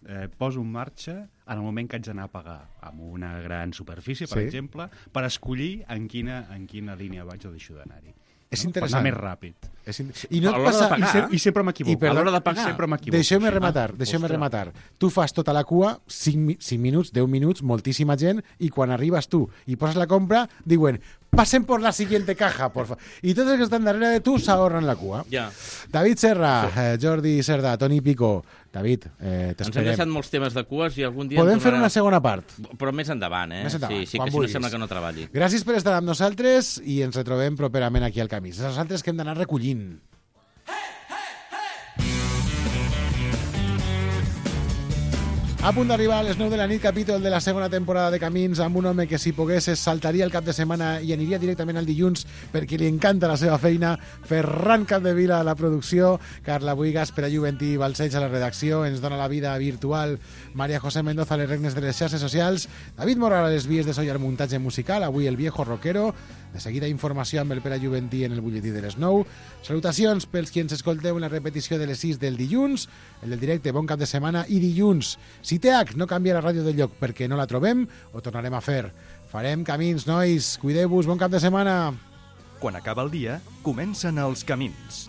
eh, poso en marxa en el moment que haig d'anar a pagar amb una gran superfície, per Sí. exemple, per escollir en quina, en quina línia vaig o deixo d'anar-hi. És no? interessant. Per anar més ràpid. És in... I no A et l'hora passa... de pagar, I, se... I sempre m'equivoco. I perdó- A l'hora de pagar, sempre m'equivoco. Deixeu-me Sí. rematar, Ah, deixeu-me ostres. rematar. Tu fas tota la cua, cinc minuts, deu minuts, moltíssima gent, i quan arribes tu i poses la compra, diuen, pasen por la siguiente caja, por favor. I tots els que estan darrere de tu s'ahorren la cua. Ja. David Serra, eh, Jordi Cerda, Toni Pico. David, eh, Ens han t'esperem. deixat molts temes de cues i algun dia... Podem en fer tornarà- una segona part. Però més endavant, eh? Més endavant, sí, sí, quan que si no vulguis. sembla que no treballi. Gràcies per estar amb nosaltres i ens retrobem properament aquí al Camí. És nosaltres que hem d'anar recollint. A punt d'arribar a les nou de la nit, capítol de la segona temporada de Camins, amb un home que si pogués es saltaria el cap de setmana i aniria directament al dilluns perquè li encanta la seva feina. Ferran Capdevila a la producció, Carla Buigas per a Juventí Balcells a la redacció, ens dona la vida virtual Maria José Mendoza a les regnes de les xarxes socials, David Morral a les vies de so i al muntatge musical, avui el viejo rockero. De seguida informació amb el Pere Juventí en el butlletí de les nou. Salutacions pels qui ens escolteu en la repetició de les sis del dilluns, el del directe, bon cap de setmana, i dilluns, si T H no canvia la ràdio de lloc perquè no la trobem, ho tornarem a fer. Farem camins, nois, cuideu-vos, bon cap de setmana. Quan acaba el dia, comencen els camins.